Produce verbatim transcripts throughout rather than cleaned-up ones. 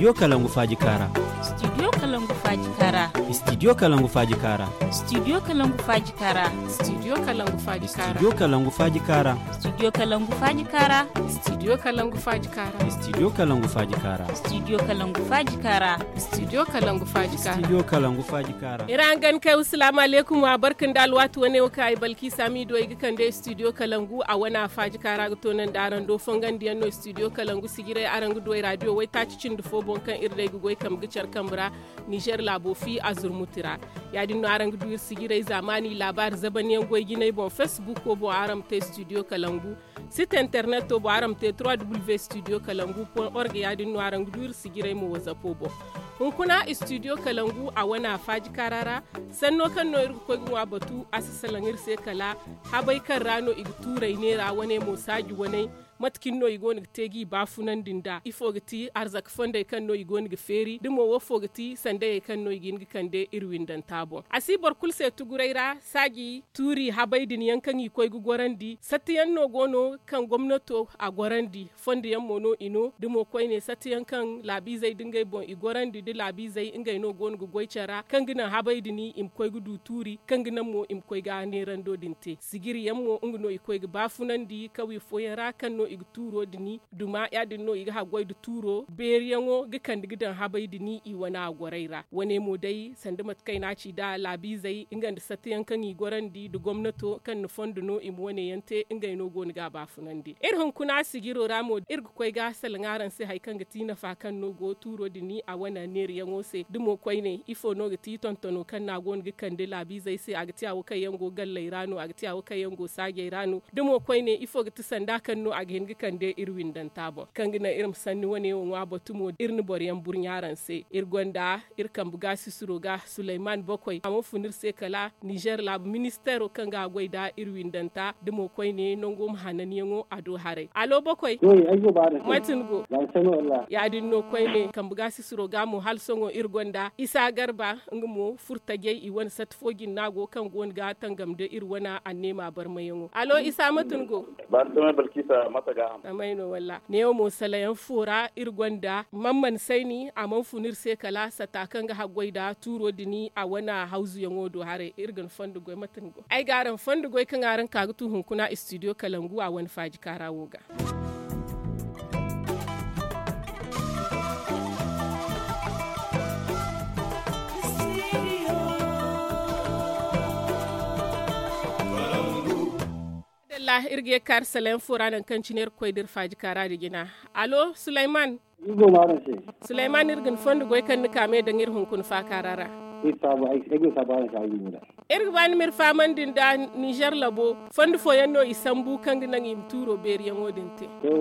Studio Kalangu Faaji Kaara. Studio Kalangu Faaji Kaara. Studio Kalangu Faaji Kaara. Studio Kalangu Faaji Kaara. Studio Kalangu Faaji Kaara. Studio Kalangu Faaji Kaara. Studio Kalangu Faaji Kaara. Studio Kalangu Faaji Kaara. Studio Kalangu Faaji Kaara. Studio Kalangu Faaji Kaara. Studio Kalangu Faaji Kaara. Studio Kalangu Faaji Kaara. Iri hangan kay, salaamu aleykum, wa barka nda alwaati wane wo kaŋ ay Balkisa Miido ay ga kande Studio Kalangu a wane a Faaji Kaara ga toonandi araŋ do. Fongandiyaŋ no Studio Kalangu sijirey araŋ ga du ay radio waytaaci cindi fo boŋ kaŋ iri day ga goy kambe ga care kambe ra Nizer laabo fi a zurmuti ra. Yaadin no araŋ ga du iri sijirey zaamaani laabaari zabanyaŋ goy jinay boŋ, Facebook wo boŋ araŋ ma te Studio Kalangu. Site internet to boŋ araŋ ma te trois w studio kalangu point org. Yaadin no araŋ ga du iri sijirey mo wazapo boŋ. Hunkuna Studio Kalangu a wane a Faaji Kaara ra. Sanno kaŋ no iri ga koy ga ŋwa batu, a si salaŋ iri se kala habey kaŋ ra no i ga tuurey neera wane mo saaji waney. Mate cine no i go no ga te g'i baafunandi nd'a? Ifo ga ti arzaka fondey kaŋ no i go no ga feeri? Da mo, woofo ga ti sandayey kaŋ no i ga hin ga kande iri windanta boŋ? A si boro kulu se tuguray ra, saaji tuuri habey din yaŋ kaŋ i koy ga gorandi, sattiyaŋ no go no kaŋ gomnato a gorandi, fondo yaŋ mo no i no. Da mo koyne, sattiyaŋ kaŋ laabiizey da ngey boŋ i gorandi, da laabiizey ngey no go no ga goy care ra, kaŋ ga naŋ habey din i ma koy ga du tuuri, kaŋ ga naŋ mo i ma koy ga neerando din te. Sijiri yaŋ mo, nga no i koy ga baafunandi kawye fooyaŋ ra, kaŋ no i ga tuuro din duma. Yaadin no i ga haggoy nda tuuro beeriyaŋo ga kande ga daŋ habey din i wane a gorey ra. Wane mo day, sanda mate kaŋ ay n'a ci nd'a laabiizey nga nda sattiyaŋ kaŋ i gorandi nda gomnato kaŋ na fondo no i ma wane yaŋ te, ngey no go no ga a baafunandi. Iri hunkuna sijiro ra mo, iri ga koy ga salaŋ araŋ se hari kaŋ ga ti nafa kaŋ no go tuuro din a wane neerayaŋo se. Da mo koyne, ifo no ga ti tontono kaŋ no a go no ga kande laabiizey se? A ga ti hawo kaŋ yaŋ go galley ra no? A ga ti hawo kaŋ yaŋ go saajey ra no? Da mo koyne, ifo ga ti sanda kaŋ no a ga hin ga kande iri windanta boŋ, kaŋ ga naŋ iri ma sanni wane wo ŋwa batu mo, iri na boroyaŋ burɲa araŋ se. Iri gonda iri kambe gaasisiro ga Suleyman Bokoy, a mana fun iri se kala Nizer laabu ministeero kaŋ ga haggoy nda iri windanta. Da mo koyne, nango ma hananyaŋo a do haray. Alo, Bokoy. Mate ni go? Yaadin no koyne, kambe gaasisiro ga mo, hala sohõ iri gonda Isa Garba, nga mo furtajey i wane sati fo jine no a go, kaŋ go no ga tangam nda iri wane anneema barmayaŋo. Alo, Isa, mate ni go? Barsamay Balkisa, mate ga ham? Amay no, walla. Neewo mo, salayaŋ fo ra iri gonda Mamman Sayni, a mana fun iri se kala sata kaŋ ga haggoy nda tuuro din a wane hawzuyaŋo do haray. Iri ga ni fondo goy, mate ni go? Ay ga araŋ fondo goy kaŋ araŋ ka ga tu hunkuna studio Kalangu a wane faaji kaara wo ga. Madalla, iri ga ye ga kaari salayaŋ fo ra, nangu kaŋ cine iri ga koy da iri faaji kaara da jina. Alo, Suleyman? Iri go ma araŋ se. Suleyman, iri ga ni fondo goy kaŋ ni ka me daŋ iri hunkuna faakaara ra. Iri saabu, ay, ay go saabu araŋ se, ay go da. Iri ga ba ni ma iri fahamandi nda Nizer labo fondo fooyaŋ no i sambu kaŋ ga naŋ i ma tuuro beeriyaŋo din te. To,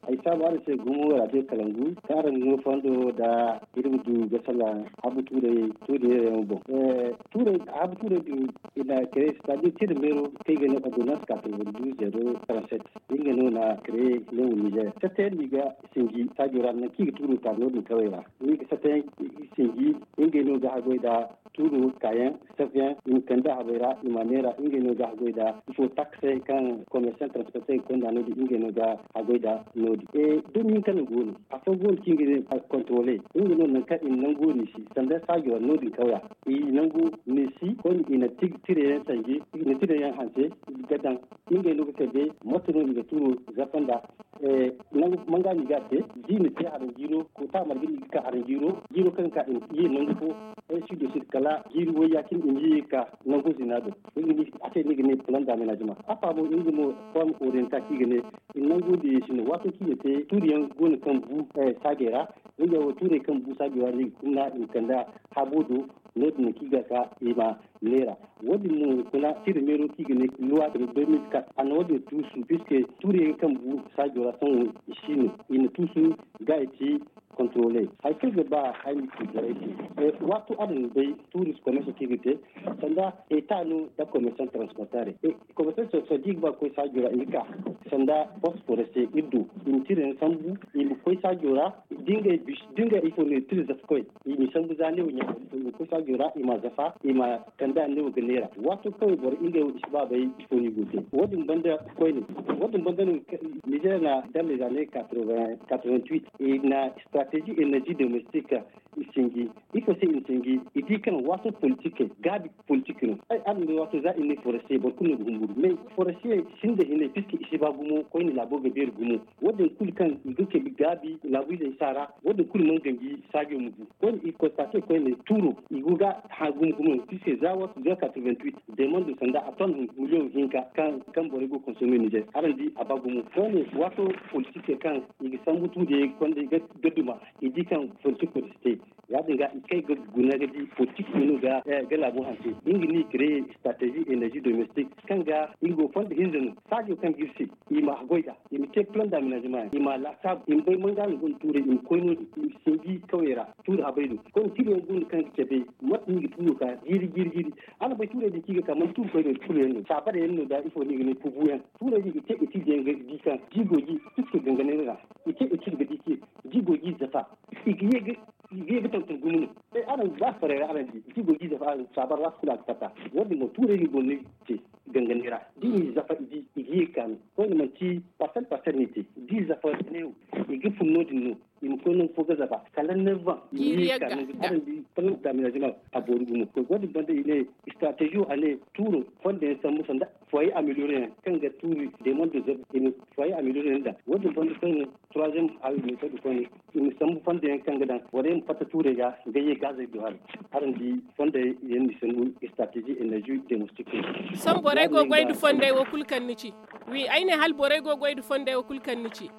ay saabu araŋ se gumo, radio Kalangu, kaŋ araŋ ga no fondo da iri ma du ga salaŋ habu tuurey, tuuri neerayaŋo boŋ. Eh, tuurey, habu tuurey din, i na kare, c'est-à-dire tira meero kaŋ i ga ne ordonnance quatre-vingt-douze zéro trente-sept. Nga no na créer New Niger. Tattayandi ga sinji saajo ra, nangu kaŋ i ga tuuro ta noodin kawey ra. Ni ga tattayandi sinji, ngey no ga haggoy nda tuuro kaayaŋ, safayaŋ, i ma kande a habey ra, i ma neera, ngey no ga haggoy nda ifo taxe kaŋ commerçant transporteur ga konda noodin, ngey no ga haggoy nda noodin. E, domin kaŋ go no, afo go no kaŋ i ga ne contrôler, nga no nangu kaŋ i na nango ni si, sanda saajo ra noodin kawya. I nango ni si, koyne i na tig-, tirayaŋ sanje, i na tirayaŋ hanse ga daŋ. Ngey no ga kande mate no i ga tuuro zafa nda, eh, nangu manga no i ga a te, da i na te haraŋ jiiro, ko ta marga no i ga ka haraŋ jiiro, jiiro kaŋ ga ka i ma ye nangu fo, ainsi de suite, kala jiiri wayya cine i ma ye ga ka nangu zina do. Nga no a te no i ga ne plan d'aménagement. Afa mo, nga mo forme orientée kaŋ i ga ne, i na nangu diya i se no. Waato kaŋ i ga te, tuuriyaŋ go no kaŋ bu, eh, saajey ra. Nga wo tuurey kaŋ bu saajey ra no i ga kunna i ma kande habo do, noodin no kaŋ i ga ka i ma neera. Wo-din mo hunkuna tira meero kaŋ i ga ne loi deux mille quatre, a na wo-din tuusu, puisque tuuriyaŋ kaŋ bu saajo ra sohõ i si no. I na tuusu ga i ci contrôler. Hari kaŋ ay ga ba ay ma ci borey se, eh, waato araŋ na bay tuuri commerce kaŋ i ga te, sanda État no nda commerçant transporteur. Eh, commerçant transporteur da i ga ba ga koy saajo ra, i ga ka sanda poste forestier iri do, i ma tirayaŋ sambu, i ma koy saajo ra, da ngey bis da ngey ifo no i tira zafa koy. I ma sambu za neewo ɲaamay i ma koy saajo ra i ma zafa i ma kande a neewo ga neera waato kaway boro ngey wo i si ba bay ifo no i go te. Wo- din banda koyne wo- din banda no nizeer na dalle za ne quatre-vingt-huit i na stratégie énergie domestique. I sinji ifo se i na sinji i di kaŋ waato politik gaabi politik no. Ay araŋ bay waato za i ne forestier boro kulu no ga humburu mais forestier sinda hinay puisque i si ba gumo koyne laabo ga beeri gumo. Wo- din kulu kaŋ i ga kay gaabi laabu izey si a ra. Wo- din kulu mana ganji saajo ma bu koyne i constate koyne tuuro i go ga hã gumo gumo puisque za waato za quatre-vingt-huit demando sanda a ton miliyoŋ hinka kaŋ borey go ga consommer nizeer araŋ di a ba gumo koyne waato politik kaŋ i ga sambu tuude konda ga duma i di kaŋ politik wo si te. Ya- din ga i kay ga guna ga di politik no ga laabo hanse. Nga no i créer stratégie énergie domestique kaŋ ga nga go fonda hinza no saajo kaŋ ga iri se i ma goy nd'a i ma te plan d'aménagement yaŋ i ma laasaabu i ma bay manga no gonda tuurey i ma koy no- din i ma sinji kawey ra tuuri habey do. Koyne tira yaŋ go no kaŋ ga cabe mate no i ga tuuro ka jiiri jiiri jiiri. Araŋ bay tuurey din kaŋ i ga ka manti tuuri koy no kulu yaŋ no saabarey yaŋ no da ifo no i ga ne kubu yaŋ tuurey din i ga te étude yaŋ ga di kaŋ jiigo ji puisque ganganay no ra i te étude ga di kaŋ jiigo ji zafa i ga ye ga tonton gumo no. Araŋ ba farey ra araŋ di jiigo ji zafa araŋ saabar ra kulu a ga fatta. Wo- din mo tuurey no i go no i te ganganay ra da i n'i zafa i di i ga ye ga kaanu koyne manti parcelle parcelle no i te da i zafa neewo i ga fun no- din no i ma koy nangu fo ga zafa kala neuf ans i ma ye ga kaanu araŋ di plan d'aménagement a boori gumo. Wo- din banda i ne stratégie wo a ne tuuro fondo yaŋ sambu sanda foyer amélioré yaŋ kaŋ ga tuuri demando zeb i ma foyer amélioré yaŋ daŋ wo- din banda koyne troisième hari méthode koyne i ma sambu fondo yaŋ kaŋ ga daŋ borey ma fatta tuurey ga ga ye gaazey do hari. Araŋ di fondey yaŋ no i sambu stratégie énergie domestique. Sohõ borey go ga goy nda fondey wo kulu kaŋ ni ci. Wi ay ne hala borey go ga goy nda fondey wo kulu kaŋ ni ci.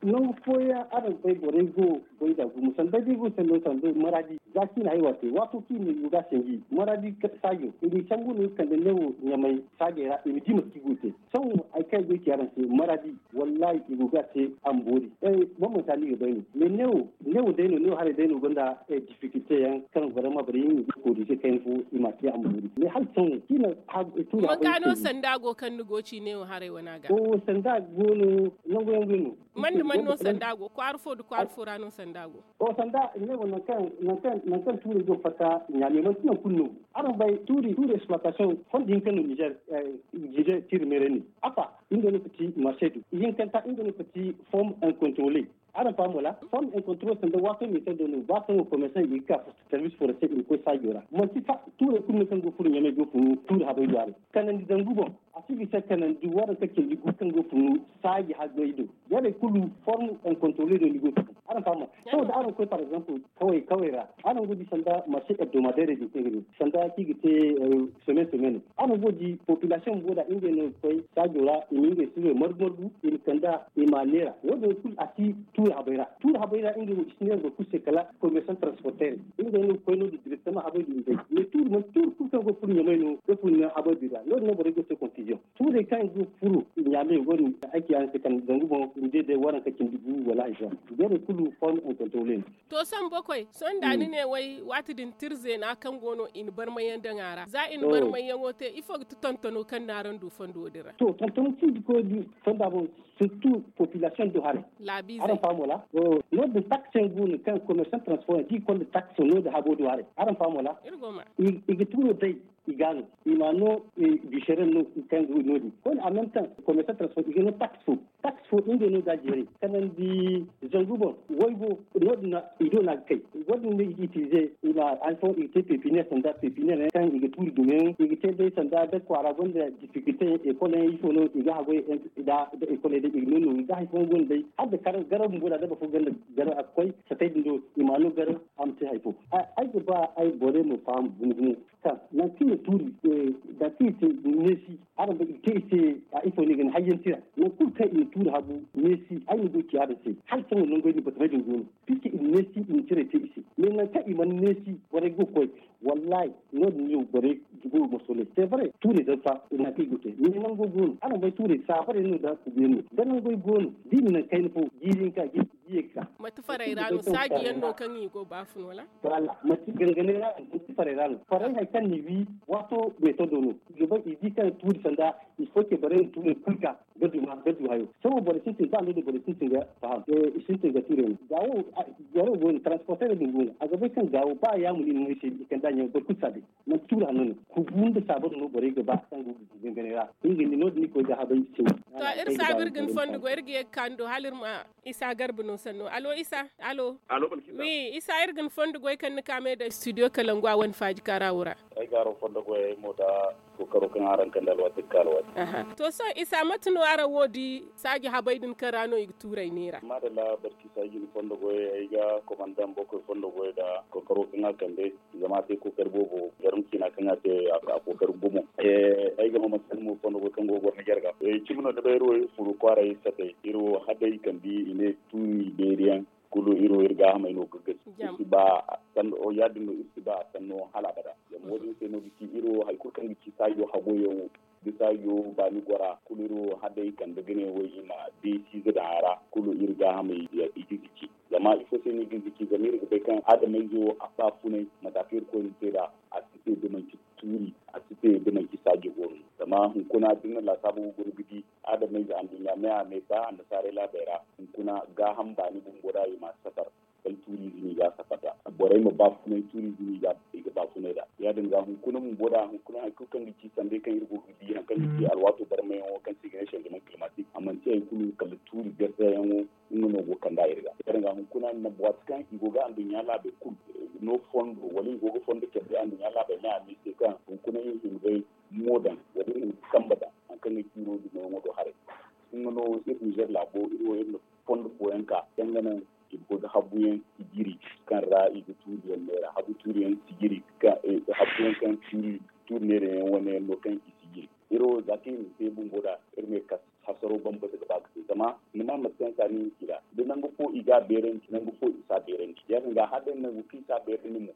Nangu fooyaŋ araŋ bay borey go ga goy nd'a gumo sanda day go sanno sanda maraadi za kaŋ i na haywa te waato kaŋ i na i go ga a sanji maraadi saajo i n'i sambu no i kande neewo ɲamay saajey ra i ma di mate kaŋ i go ga te. Sohõ hari kaŋ ay goy ci araŋ se maraadi wallaahi i go ga a te a ma boori. Boro mana ka no i ga bay no mais neewo neewo day no neewo haray day no gonda difficulté yaŋ kaŋ vraiment borey yaŋ i ga corriger kayna fo i m'a te a ma boori mais hala sohõ kaŋ i na tuuri haggoy no sanda go kaŋ ni go ga ci neewo haray wane a ga. Sanda go no nangu yaŋ go no. Man da man no sanda go kwaara fo nda kwaara fo ra no sanda go? O sanda neewo nangu kaŋ tuuri go fatta ɲaame manti nangu kulu no. Araŋ bay tuuri tuuri exploitation fondo hinka no niger. Niger tiiri meeray ne afa nga no kati marché du ihinkanta nga no kati forme incontrôlé. Araŋ faham wala forme incontrôlé sanda waato meetar do no ba kaŋ wo commerçant i ga ka service forestier i ma koy saajo ra manti tuurey kulu no kaŋ go furo ɲamay go funu tuuri habay do haray kanandi zangu boŋ. A si bisa kanandi waranka cindi gu kaŋ go funu saaji haggay do. Jarey kulu forme incontrôlé do ni go funu. Araŋ faham ma saboda araŋ koy par exemple kaway kaway ra araŋ go di sanda marché hebdomadaire din kaŋ ga ne sanda kaŋ i ga te semaine semaine. Araŋ go di population bumbo da ngey no ga koy saajo ra i ma ngey sirey margu margu i ma kand'a i m'a neera wo- din kulu a si tuuri habay ra. Tuuri habay ra ngey wo i si neera boro kulu se kala commerçant transporteur ngey no ga koy no- din directement habay din day mais tuuri manti tuuri kulu kaŋ go ga furo ɲamay no ga furo naŋ habay din ra no- din no borey go ga te confusion. Tuurey kaŋ i go ga furo ɲaame wo- din ay ci araŋ se kala zangu boŋ i ma day day waranka cindi gu wala hari fo. Jarey kulu forme incontrôlé no. To sambu koy sohõ da ni ne way waati din tira zeena kaŋ go no i na barmayyaŋ daŋ a ra za i na barmayyaŋo te ifo ga ti tontono kaŋ no araŋ du fondo din ra? To tontono cindi koy di fonda boŋ surtout population do haray. Laabiizey araŋ faham wala? No- din taxe yaŋ go no kaŋ commerçant transport yaŋ da i konda taxe no- din habo do haray araŋ faham wala? I ga tuuro day i ga no i ma no bisheren no kaŋ ga no- din koyne en même temps commerçant transport i ga no taxe fo. Taxe fo ngey no ga jeeray kanandi zangu boŋ waybo no- din i do no a ga kay. Wo- din no i ga utiliser i ma hari fooyaŋ i ga te pépinière sanda pépinière yaŋ kaŋ i ga tuuri dumo yaŋ i ga te day sanda da kwaara gonda difficulté yaŋ école yaŋ ifo no i ga haggoy nda école day i ga no nooru da hari fooyaŋ go no day hala da garaw bumbo da da boro fo gonda garaw a ga koy satay din do i ma no garaw a ma te hari fo. Ay ga ba ay borey ma faham gumo gumo kaŋ nangu kaŋ i na tuuri da kaŋ i te neesi araŋ bay i te i se a ifo no i ga ne hayyaŋ tira nangu kulu kaŋ i na tuuri hagu neesi ay ma goy ci araŋ se hala sohõ nangoy din batamey din go no puisque i na neesi i na tirey te i se mais nangu kaŋ i mana neesi borey go ga koy. Wallahi no- din no borey go ga masolay c'est vrai tuurey zarfa i na kaŋ i go te mais nango go no araŋ bay tuurey saabarey no da kubiyaŋ no da nangoy go no da i na nangu kayna fo jiiri hinka jiiri Mate faray ra no saaji yaŋ no kaŋ i go baafun wala? Mate ganganay ra no mate faray ra no faray hari kaŋ ni wi waato meetodo no i ga bay i di kaŋ tuuri sanda i fo ce bare no tuuri kulu ga ga duma ga du hayo. Sohõ boro sintin ba no din boro sintin ga faham i sintin ga tuuri yaŋ. Gaawo goro go no transporter din go no a ga bay kaŋ gaawo ba yaamu no i na moy se i kanda ɲaŋ boro kulu si a bay. Manti tuuri hanno no kubu nda saabaru no borey ga ba kaŋ go ga ganganay ra. Nga ni no- din ni koy ga habay. Cine to iri saabu iri ga ni fondo goy iri ga ye ga ka ni do hala iri ma isa garba no sanno alo isa alo. Wi isa iri ga ni fondo goy kaŋ ni ka me da studio kalangu a wane faaji kaara wo ra. Ay ga araŋ fondo goy ay mo da kookaro kaŋ araŋ kande alwaati ga ka alwaati. To sohõ isa mate no araŋ wo di saaji habay din kaŋ ra no i ga tuuray neera. Maadalla barki saaji ni fondo goy ay ga komandaŋ bokoy fondo goy da kookaro kaŋ a kande. Zama a te kookari boobo jarmu ciina kaŋ a te a kookari gumo. Ay ga ma manti ni mo fondo goy kaŋ go ga goro ni jarga cimi no ni bay iri wo iri furu kwaaray satay iri wo hadday kambi i ne tuuri beeri yaŋ. Kulu iri wo iri gaahamey no ga gasi iri si ba sanno ya- din no iri si ba sanno hala abada. Zama wo- din se no ga ci iri wo hari kulu kaŋ ga ci saajo hagoyaŋo da saajo baani gora kulu iri wo hadday kande ga ne wo i ma deesiize daŋ a ra kulu iri gaahamey i ga ga ci. Zama ifo se no i ga ga ci zama iri ga bay kaŋ adamayze wo a baafunay mate kaŋ iri koyne te nd'a. A si te da manti tuuri a si te da manti saajo go no. Zama hunkuna da ni na laasaabu ga guna ga di adamayze anduɲɲa me a me ba annasaarey laabey ra hunkuna gaaham baani bumbo da i ma safar. Kala tuuriize no i ga a safar nd'a borey ma baafunay tuuriize no i ga baafunay nd'a ya- din ga hunkuna bumbo da hunkuna hari kulu kaŋ ga ci sanday kaŋ iri go ga di hari kaŋ ga ci alwaato barmayaŋo kaŋ se i ga ne shanjaman kilimatik a manti hari kulu kala tuuri garzayaŋo. Nga no go ga kand'a iri ga ya- din ga hunkuna waati kaŋ i go ga anduɲɲa laabey kulu no fondo wala i go ga fondo care day anduɲɲa laabey me a me se kaŋ hunkuna iri hima ga mo daŋ wala iri hima ga kambe daŋ hari kaŋ ga ci iri wo dumayaŋo do haray. Nga no iri nizer laabo iri wo iri na fondo fooyaŋ ka kaŋ ga naŋ i ga koy ga habbuyaŋ sijiri kaŋ ra i ga tuuriyaŋ neera habbu tuuriyaŋ sijiri. Habbuyaŋ kaŋ tuuri neerayaŋ wane yaŋ no kaŋ i sijiri iri wo za kaŋ iri na te bumbo nd'a iri ma ye ga ka hasaro bambata ga ba ga te zama ni ma mate kaŋ se a ne ni ci nd'a da nangu fo i ga a beerandi nangu fo i si a beerandi ya- din ga hala day nangu kaŋ i si a beerandi mo.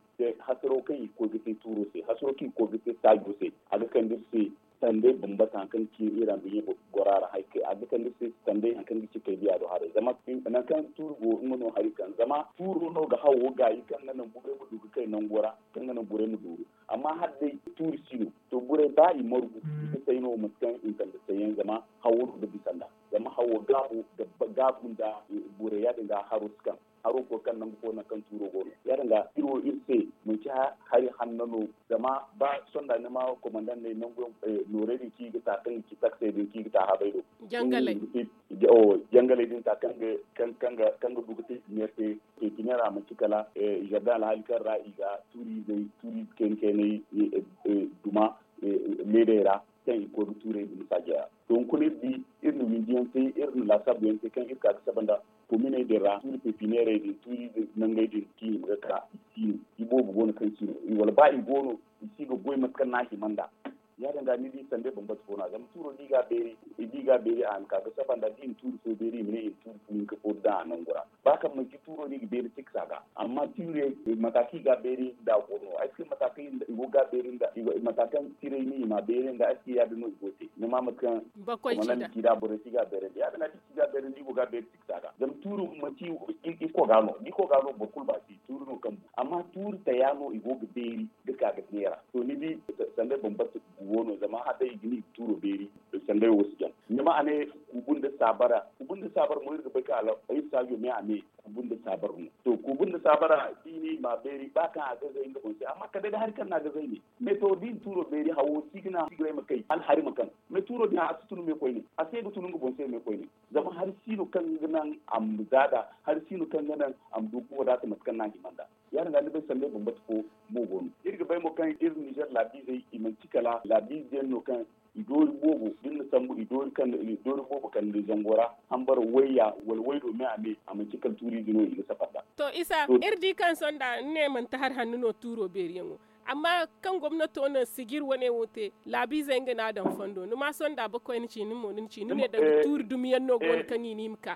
Hasaro kaŋ i ga koy ga te tuuro se hasaro kaŋ i ga koy ga te saajo se a ga kande iri se sanday bambata hari kaŋ ga ci iri anduɲɲa gora ra hari kaŋ a ga kande iri se sanday hari kaŋ ga ci kay biya do haray zama nangu kaŋ tuuri go nga no hari kaŋ zama tuuro no ga hawo gaayi kaŋ ga naŋ borey ma du ga kay nango ra kaŋ ga naŋ borey ma dooru. Amma hala day tuuri si no to borey ba i margu i ga say no mate kaŋ i na kande sayyaŋ zama hawo no ga bisa nd'a zama hawo gaabu nda borey ya- din ga haro si kaŋ haro fo kaŋ nangu fo nangu kaŋ tuuro go no ya- din ga iri wo iri se manti hari hanno no. Zama ba sonda ni ma komandaŋ ne nangu noorey din kaŋ i ga ta kaŋ ga ci taksey din kaŋ i ga ta habay do jangaley din ta kaŋ ga du ga te pepiniyar a manti kala zardaŋ alhaali kaŋ ra i ga tuuriizey tuuriize kayna kaynay duma leedey ra kaŋ i ga koy ga tuurey dumi saaja ra. To hunkuna iri di iri na windiyaŋ te iri na laasaabuyaŋ te kaŋ iri ka ga saba nda kominey din ra tuuri pepineerey din tuuri nangey din kaŋ i hima ga ka i si no. Iboobo go no kaŋ si no wala ba i go no i si ga goy mate kaŋ no a hima nd'a. Ya- din ga ni di sanda bambata fo no a zama tuuro da i ga a beeri a na ka ga saba nd'a da i na tuuri fo beeri i ma ne i na tuuri fo hinka fo daŋ a nangu ra. Ba kaŋ manti tuuro no i ga beeri tiksa ga amma tuurey mata kaŋ i ga a beeri nd'a go no ay si ga mata kaŋ i go ga a beeri nd'a mata kaŋ tiray no i ma a beeri nd'a ay si ga ya- din no i go te ni ma mate kaŋ bakoy ci nd'a borey si ga a beerandi ya- din a di si ga a beerandi i go ga a beeri tiksa ga zama tuuro manti iko ga no da iko ga no boro kulu ba si tuuro no kaŋ bu amma tuuri taya no i go ga beeri ga ka ga neera to ni di sanda bambata guwo no zama hala day i ga ni tuuro beeri. Sanday wo si jaŋ ni ma a ne kubu nda saabara kubu nda saabara mo iri ga bay kaŋ hala ay saajo me a ne kubu nda saabara no. To kubu nda saabara da i ne i ma a beeri ba kaŋ a gazay nga boŋ se amma kala day da hari kaŋ no a gazay ne. Mais to da i na tuuro beeri hawo si ga naŋ sigiray ma kay hala hari ma kaŋ mais tuuro din a si tunu me koyne a se ga tunu nga boŋ se me koyne. Zama hari si no kaŋ ga naŋ a ma zaada hari si no kaŋ ga naŋ a ma du ga wadaata mate kaŋ no a hima nd'a. Ya- din ga ni bay sanda bambata fo mo go no iri ga bay mo kaŋ iri nizer laabiizey i manti kala laabiize yaŋ no kaŋ i doori boobo da ni na sambu i doori kaŋ i doori boobo kande zango ra hambara wayya wala waydo me a me a manti kala tuuriize no i ga safar nd'a. To isa iri di kaŋ sohõ da ni ne manti hari hanno no tuuro beeriyaŋo. Amma kaŋ gomnato na sijir wane wo te, laabiizey nga no a daŋ fondo ni ma sohõ nda a bakoy ni ci ni mo ni ci ni ne danga tuuri dumiyaŋ no go no kaŋ i ne i ma ka.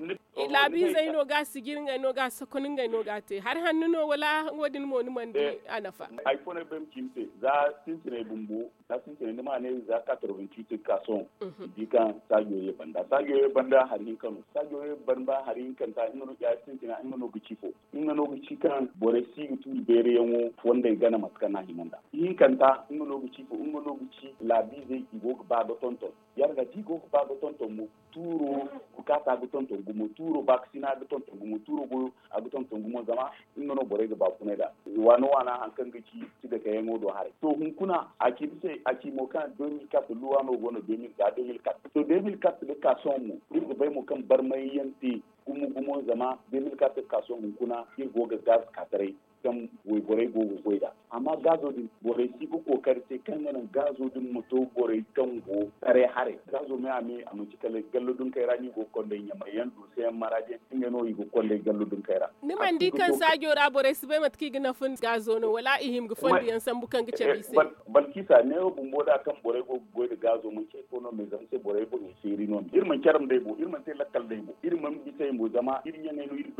Laabiizey no ga sijir ngey no ga sokon ngey no ga te hari hanno no wala wo- din mo ni mana di a nafa. Hari fo no ay bay ma ci ni se za sintinay bumbo za sintinay ni ma ne za quatre-vingt-huit ga ka sohõ. Ni di kaŋ saajo ye banda saajo ye banda hari hinka no saajo ye banda hari hinkanta nga no ga ci fo nga no ga ci kaŋ borey si ga tuuri beeriyaŋo fondey gana mate kaŋ no a hima nd'a. Ihinkanta nga no ga ci fo nga no ga ci laabiizey i go ga ba ga tonton. Ya- din ga da i go ga ba ga tonton mo tuuro bukaata ga tonton gumo tuuro baakasina ga tonton gumo tuuro goyo a ga tonton gumo zama nga no borey ga baafunay nd'a. Waana waana hari kaŋ ga ci si dake yaŋo do haray to hunkuna a ci ni se a ci mo kaŋ deux mille quatre luwa no go no deux mille quatre deux mille quatre to deux mille quatre ga ka sohõ mo iri ga bay mo kaŋ barmay yaŋ te gumo gumo zama deux mille quatre ga ka sohõ hunkuna iri go ga gaz ka taray kaŋ wayborey go ga goy nd'a. Amma gaazo din borey si ga kookari te kaŋ ga naŋ gaazo din ma to borey kaŋ go taray haray gaazo me a me a manci kala gallo dunkey ra no i go ga konda ɲamay yaŋ duusa yaŋ maraadi yaŋ nga no i ga konda ay gallo dunkey ra. Ni mana di kaŋ saajo ra borey si bay mate kaŋ i ga nafa nda gaazo no wala i hima ga fondo yaŋ sambu kaŋ ga cabe i se? Balkisa neewo bumbo da kaŋ borey go ga goy nda gaazo manci hay fo no me zama se borey boŋey feeri no me iri mana care nda ay bo iri mana te lakkal nda ay bo iri mana bisa ay mo zama iri ɲaŋey no iri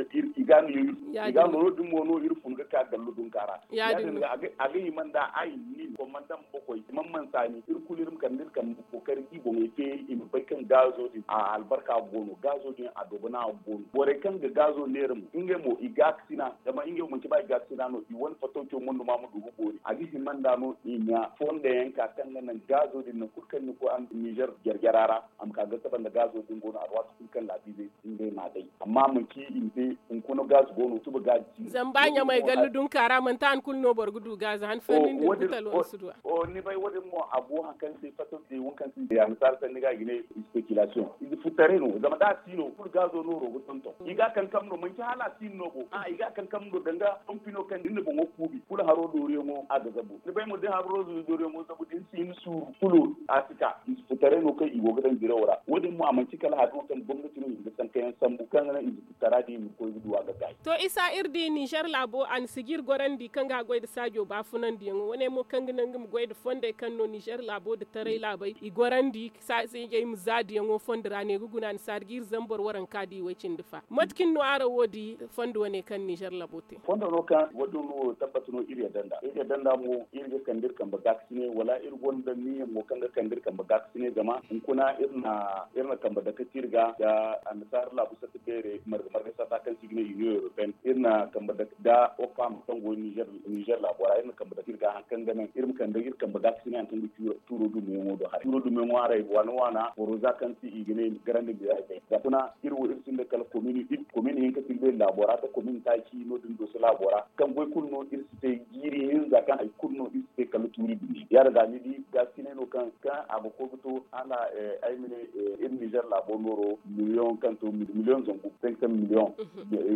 ga no yo iri fun ga ka gallo dunka ra. Ya- din ga a ga hima nda ay ni komandam bokoy man mansa ni iri kulu iri ma kande iri kambe kookari ga i boŋey te i ma bay kaŋ gaazo din a albarka go no gaazo din a dogo no a go no borey kaŋ ga gaazo neera mo ngey mo i gaakasina zama ngey mo manci ba i gaakasina no i wane fattawco mondu ma ma du ga boori a ga hima nda no i ɲa fonda yaŋ ka kaŋ ga naŋ gaazo din nangu kulu kaŋ ni koy nizer jare-jare ra a ma ka ga saba nda gaazo din go no alwaati kulu kaŋ laabiizey ngey m'a day. Amma manci i ma te hunkuna gaz go no suba gaz. Zama ba ɲamay gallu dunka ra manti han kulu no boro ga du gaz han fo ni nda ni ga talon si du a. Ni bay wo- din mo a go hari kaŋ se fato te wo- din kaŋ se annasaara sanni ga i ga ne speculation ize futtaray no zama da a si no kulu gazo nooro ga tonton i ga a kankam no manci hala a si no no bo a i ga a kankam no danga pompino kaŋ da ni na boŋo kuubi kulu haro dooriyaŋo a ga zabu ni bay mo da ni haro dooriyaŋo zabu da ni si ni suuru kulu a si ka ize futtaray no kaŋ i go ga daŋ dirawo ra wo- din mo a manci kala hari no kaŋ gomnati no i ga sankayaŋ sambu kaŋ ga naŋ ize futtara din i ma koy ga du a ga gaay. To isa iri di nizer laabo a na sijir gorandi kaŋ ga a goy nda saajo baafunandiyaŋo wane mo kaŋ ga naŋ nga ma goy nda fondey kaŋ no nizer laabo nda taray laabey i gorandi saasijey ma za diyaŋo fondo ra ne ga guna a na saari ga iri zambar waranka di way cindi fa mate kaŋ no araŋ wo di fondo wane kaŋ nizer laabo te? Fondo no kaŋ wo- din wo tabbat no iri yadda nd'a iri yadda nd'a mo iri ga kande iri kambe gaakasine wala iri gonda niiya mo kaŋ ga kande iri kambe gaakasine zama hunkuna iri na kambe dake tirga nda annasaara laabu sata beere marga marga sata kaŋ se i ga ne union europeenne iri na kambe dake nda opam kaŋ go nizer laabo ra iri na kambe dake tirga hari kaŋ ga naŋ iri ma kande iri kambe gaakasine hari kaŋ ga tuuro dumiyaŋo do haray tuuro dumiyaŋo haray waana waana boro za kaŋ se i ga ne garandi miraazey za kuna iri wo iri sinda kala komin hinka sinda iri laabo ra nda komin taaci no- din dooso laabo ra kaŋ goy kulu no iri si te jiiri hinza kaŋ hari kulu no iri si te kala tuuri dumi ya- din ga ni di gaakasine no kaŋ a ga koy ga to hala ay ma ne iri nizer laabo nooro miliyoŋ kaŋ to miliyoŋ zangu cinq cent miliyoŋ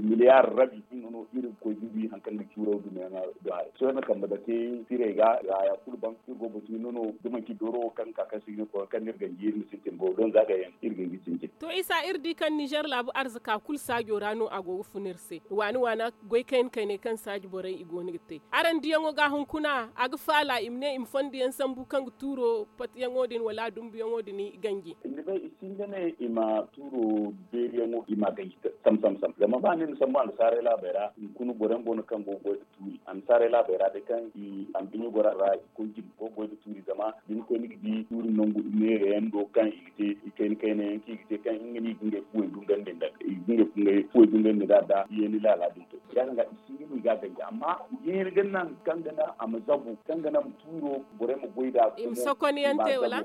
miliyar rabi nga no iri ga koy ga wi hari kaŋ ga cuuraw dumiyaŋ do haray sohõ iri na kambe dake tirey ga haya kulu ban iri go ga batu hinne no da manci dooro wo kaŋ ga ka kaŋ se ga ne koy kaŋ no iri ganji iri ma sintin boro donza gay yaŋ iri ga ay ga sintin. To isa iri di kaŋ nizer laabu arzaka kulu saajo ra no a go ga fun iri se waani waana goy kayna kayney kaŋ saaji borey i go no ga te araŋ diyaŋo ga hunkuna a ga faala i ma ne i ma fondo yaŋ sambu kaŋ ga tuuro pati yaŋo din wala dumbu yaŋo din ganji. Ni bay i sinda ne i ma tuuro beeri yaŋo i ma ganji sam sam sam zama ba ni na sambu annasaarey laabey ra hunkuna boro yaŋ go no kaŋ go ga goy nda tuuri annasaarey laabey ra day kaŋ i ambiɲo goro a ra i koy jine go ga goy nda tuuri zama da ni koy ni ga di tuuri nangu neera yaŋ do kaŋ i ga te i kayna kayna yaŋ kaŋ i ga te kaŋ nga no i ga ngey fuwey dungandi nda i ga ngey fuwey dungandi nda da yeeni laala din to ya- din ga i sinda no i ga a ganji amma yeeni ga naŋ kaŋ ga naŋ a ma zabu kaŋ ga naŋ tuuro borey ma goy nd'a. I ma sokoniyaŋ te wala?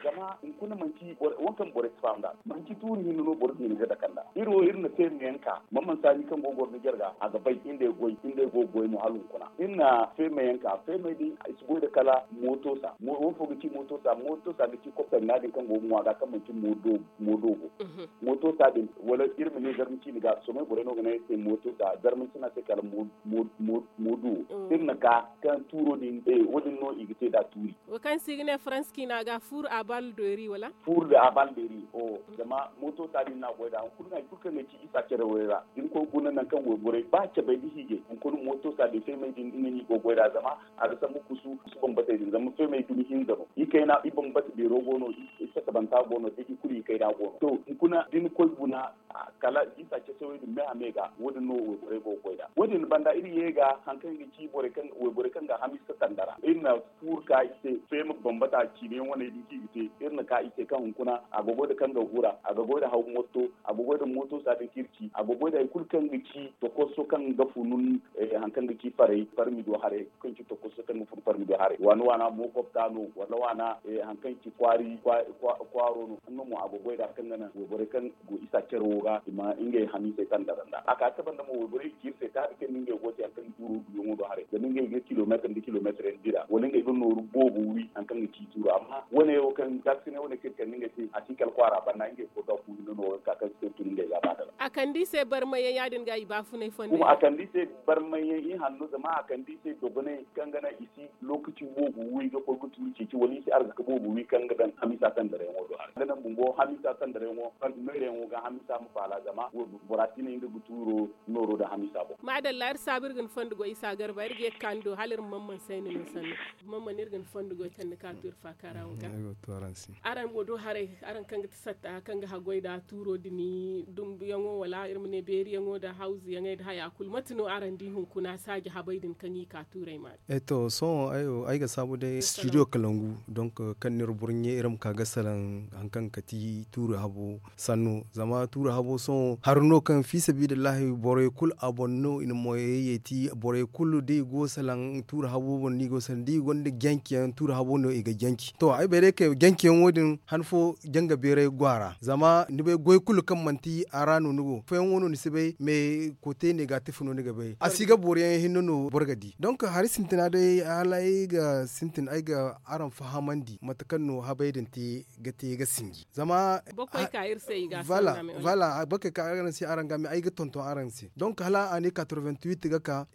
Zama hunkuna manci wo- kaŋ borey si faham nd'a manci tuuri hinne no boro ga hin ga dake nd'a iri wo iri na feemayaŋ ka man man saani kaŋ go ga goro ni jarga a ga bay iri nd'ey goy iri nd'ey go ga goy no hala hunkuna iri na feemayaŋ ka feemay din i si goy nda kala mootosa wo- wo- fo ga ci mootosa mootosa ga ci kopper no- din kaŋ go ga ŋwa ga kaŋ manci moodoobo mootosa din wala iri ma ne zarma ciine ga sohõ borey no ga ne ay se mootosa zarma ciina se kala mooduwo iri na ka kaŋ tuuro din wo- din no i ga te nd'a tuuri. Wo kaŋ se i ga ne faransi ciina ga fur a bal doori wala? Fur da a bal doori o zama Mooto saadin no a goy nd'a hunkuna no hari kulu kaŋ ga ci isa care way ra da ni koy guna nangu kaŋ wayborey ba cabay nda hiijay hunkuna mooto saadin feemay din nga no i go goy nd'a zama a ga sambu kusu kusu bambatey din zama feemay dumi hinza no i kayna i bambata beero go no i satabanta go no da i kulu i kayna go no to hunkuna da ni koy guna kala da isa care way din me a me ga wo- din no wayborey go ga goy nd'a wo- din banda iri ye ga hari kaŋ ga ci wayborey kaŋ ga hamiisa tanda ra iri na furu ka i se feema bambata ciine wane din kaŋ i ga te iri na ka i se kaŋ hunkuna a ga goy nda kaŋ ga hura a ga goy nda haw motto a ga goy nda mooto saadin kaŋ iri ci a ga goy nda hari kulu kaŋ ga ci tokoso kaŋ ga funu hari kaŋ ga ci farmi do haray kaŋ ci tokoso kaŋ ga funu farmi do haray waana waana mookopta no wala waana hari kaŋ ci kwaaro no nga mo a ga goy nda kaŋ ga naŋ wayborey kaŋ go isa care wo ga i ma ngey hamiisey kaŋ dara nd'a a ka ga cabe nda mo wayborey ga ci iri se taabi kaŋ nda ngey go ga te hari kaŋ ga tuuro duuyaŋo do haray zama ngey ga kilomeetir nda kilomeetir yaŋ dira wala ngey ga nooru boobo wi hari kaŋ ga ci tuuro amma wane wo kaŋ gaakasinay wane kaŋ iri kande ngey se a si kala kwaara banda ngey fo ga ku hinne no wo ga ka kaŋ si te tun ngey ga a ba dala a kande i se barmay yaŋ ya- din ga i baafunay fondey kuma a kande i se barmay yaŋ i hanno zama a kande i se dogonay kaŋ ga naŋ i si lookaci boobo wi ga koy ga tuuri ceeci wala i si arzaka boobo wi kaŋ ga daŋ hamiisa tandaray yaŋo do haray ga naŋ bumbo hamiisa tandaray yaŋo noora yaŋo ga hamiisa ma faala zama bora si ne nga ga tuuro nooro nda hamiisa boŋ maadalla iri saabu iri ga ni fondo goy isa garba iri ga ye ga ka ni do hala iri ma man man sayni no sanni man man iri ga ni fondo goy kaŋ ni ka tuuri faaka ra wo ga araŋ wo do haray araŋ kaŋ ga ti satta kaŋ ga haggoy nda tuuro din dumbuyaŋo wala iri ma ne beeriyaŋo nda hawzuyaŋey nda haya kulu mate no araŋ di hunkuna saaji habay din kaŋ i ka tuurey ma e to sohõ ay ga saabu day studio kalangu donk kaŋ n'iri burɲe iri ma ka ga salaŋ hari kaŋ ga kati tuuri habo sanno zama tuuri habo sohõ hari no kaŋ fiisabiidillahi borey kulu a boŋ no i na moyey yeeti borey kulu da i go salaŋ tuuri habo boŋ no i go salaŋ da i gonda janci yaŋ tuuri habo no i ga janci to ay bay day kay janci yaŋo din han fo janga beeray go a ra zama ni bay goy kulu kaŋ manti a ra no ni go afooyaŋo no ni si bay mais kote negatif no ni ga bay a si ga boro yaŋ hinne no boro ga di donk hari sintina day hala ay ga sintin ay ga araŋ fahamandi mate kaŋ no habay din te ga te ga sinji zama boro kaŋ ay ka araŋ se araŋ ga me ay ga tonton araŋ se donk hala a ne quatre-vingt-huit ga ka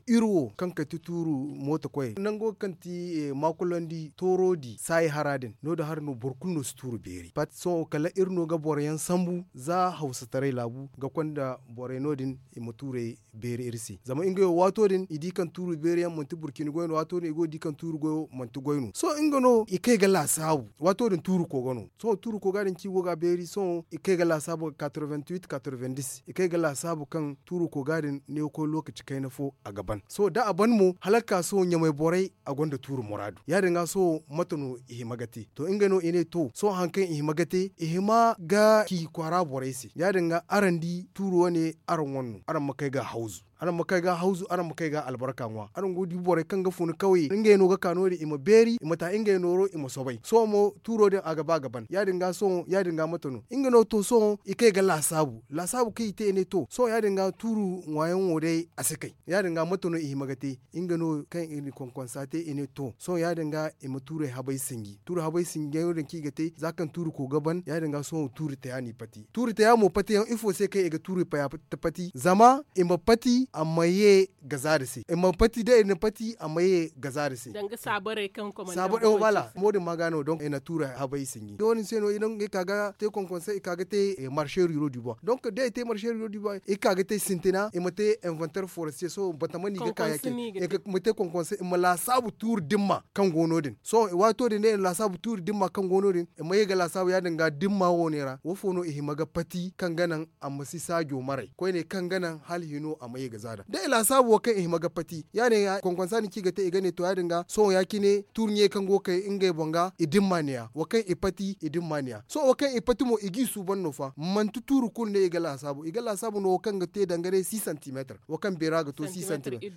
iri wo kaŋ kay ti tuuru mooto koyey nango kaŋ ti maakulandi tooro di saayi hara din no- din hari no boro kulu no si tuuru beeri pat sohõ kala iri no ga boro yaŋ sambu za hawsataray laabu ga konda borey no- din i ma tuurey beeri iri se zama ngey wo waato din i di kaŋ tuuru beeri yaŋ manti burcini goy no waato din i go ga di kaŋ tuuru goyo manti goy no sohõ nga no i kay ga laasaabu waato din tuuru kooga no sohõ tuuru kooga din kaŋ i go ga a beeri sohõ i kay ga laasaabu ga quatre-vingt-huit quatre-vingt-dix i kay ga laasaabu kaŋ tuuru kooga din ne ga koy lookaci kayna fo a ga ban sohõ da a ban mo hala ga ka sohõ ɲamay borey a gonda tuuru muraadu ya- din ga sohõ mate no i hima ga te to ngey no i ne to sohõ hari kaŋ i hima ga te i hima ga ci kwaara borey se ya- din ga araŋ di tuuru wane araŋ wane no araŋ ma kay ga hawzu araŋ ma kay ga hawzu araŋ ma kay ga albarka ŋwa araŋ go ga di borey kaŋ ga fun kawye ngey no ga ka no- din i ma beeri i ma ta ngey nooro i ma soobay sohõ mo tuuro din a ga ba ga ban ya- din ga sohõ ya- din ga mate no nga no to sohõ i kay ga laasaabu laasaabu kaŋ i te i ne to sohõ ya- din ga tuuru ŋwaayaŋo day a si kay ya- din ga mate no i hima ga te nga no kaŋ i na konkonsa te i ne to sohõ ya- din ga i ma tuurey habay sinji tuuru habay sinji yaŋo din kaŋ i ga te za kaŋ tuuru ko ga ban ya- din ga sohõ tuuru taya no i pati tuuru taya mo pati yaŋ ifo se kaŋ i ga tuuru paya pati zama i ma pati a ma ye gazaada se i ma pati day i na pati a ma ye gazaada se danga saabarey kaŋ komanda saabarey wala mo- din ma ga no donk i na tuuru habay sinji da wo- din se no i ka ga te konkonsa i ka ga te marché ruraux du bois donk da i te marché ruraux du bois i ka ga te sintina i ma te inventaire forestier sohõ batama no i ga ka ya- cine i ma te konkonsa i ma laasaabu tuuru dimma kaŋ go no- din sohõ waato din day i na laasaabu tuuru dimma kaŋ go no- din i ma ye ga laasaabu ya- din ga dimma wo- ne ra wo- fo no i hima ga pati kaŋ ga naŋ a ma si saajo maray koyne kaŋ ga naŋ hala hino a ma ye ga zaada da i laasaabu wo kaŋ i hima ga pati ya- din ga konkonsa din kaŋ i ga te i ga ne to ya- din ga sohõ ya- cine tuuru ɲey kaŋ go ga kay ngey boŋ ga i dimma ne- ya wo kaŋ i pati i dimma ne- ya sohõ wo kaŋ i pati mo i g'i suuban no fa manti tuuru kulu no i ga laasaabu i ga laasaabu no wo kaŋ ga te danga day six santimeetir wo kaŋ beera ga to six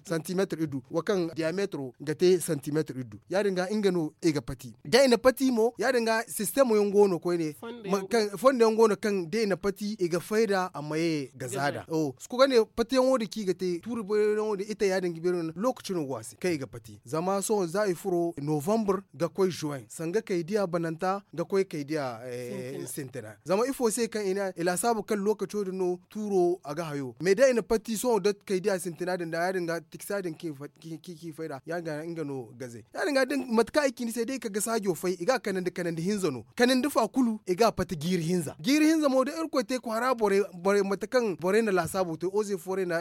santimeetir iddu wo kaŋ diyameetiro ga te santimeetir iddu ya- din ga nga no i ga pati da i na pati mo ya- din ga sistemo yaŋ go no koyne fondo yaŋ go no kaŋ da i na pati i ga fayda a ma ye ga zaada suku ga ne pati yaŋo din kaŋ i ga Tuuri beerayaŋo din ite ya- din ga beeri no lookaci no go a se kaŋ i ga pati zama sohõ za i furo novembre ga koy juin sanga kay diya bananta ga koy kay diya sintina. Zama ifo se kaŋ i ne i laasaabu kaŋ lookaco din no tuuro a ga hayo mais da i na pati sohõ da kay diya sintina din da ya- din ga tiksa din kaŋ i fayda ya- din ga no gaze ya- din ga mate kaŋ ay ci ni se da i ka ga saajo fay i ga a kanandi kanandi hinza no kanandi fa kulu i ga a pati jiiri hinza jiiri hinza mo da irkoy te kwaara borey mate kaŋ borey na laasaabo te oze fooray na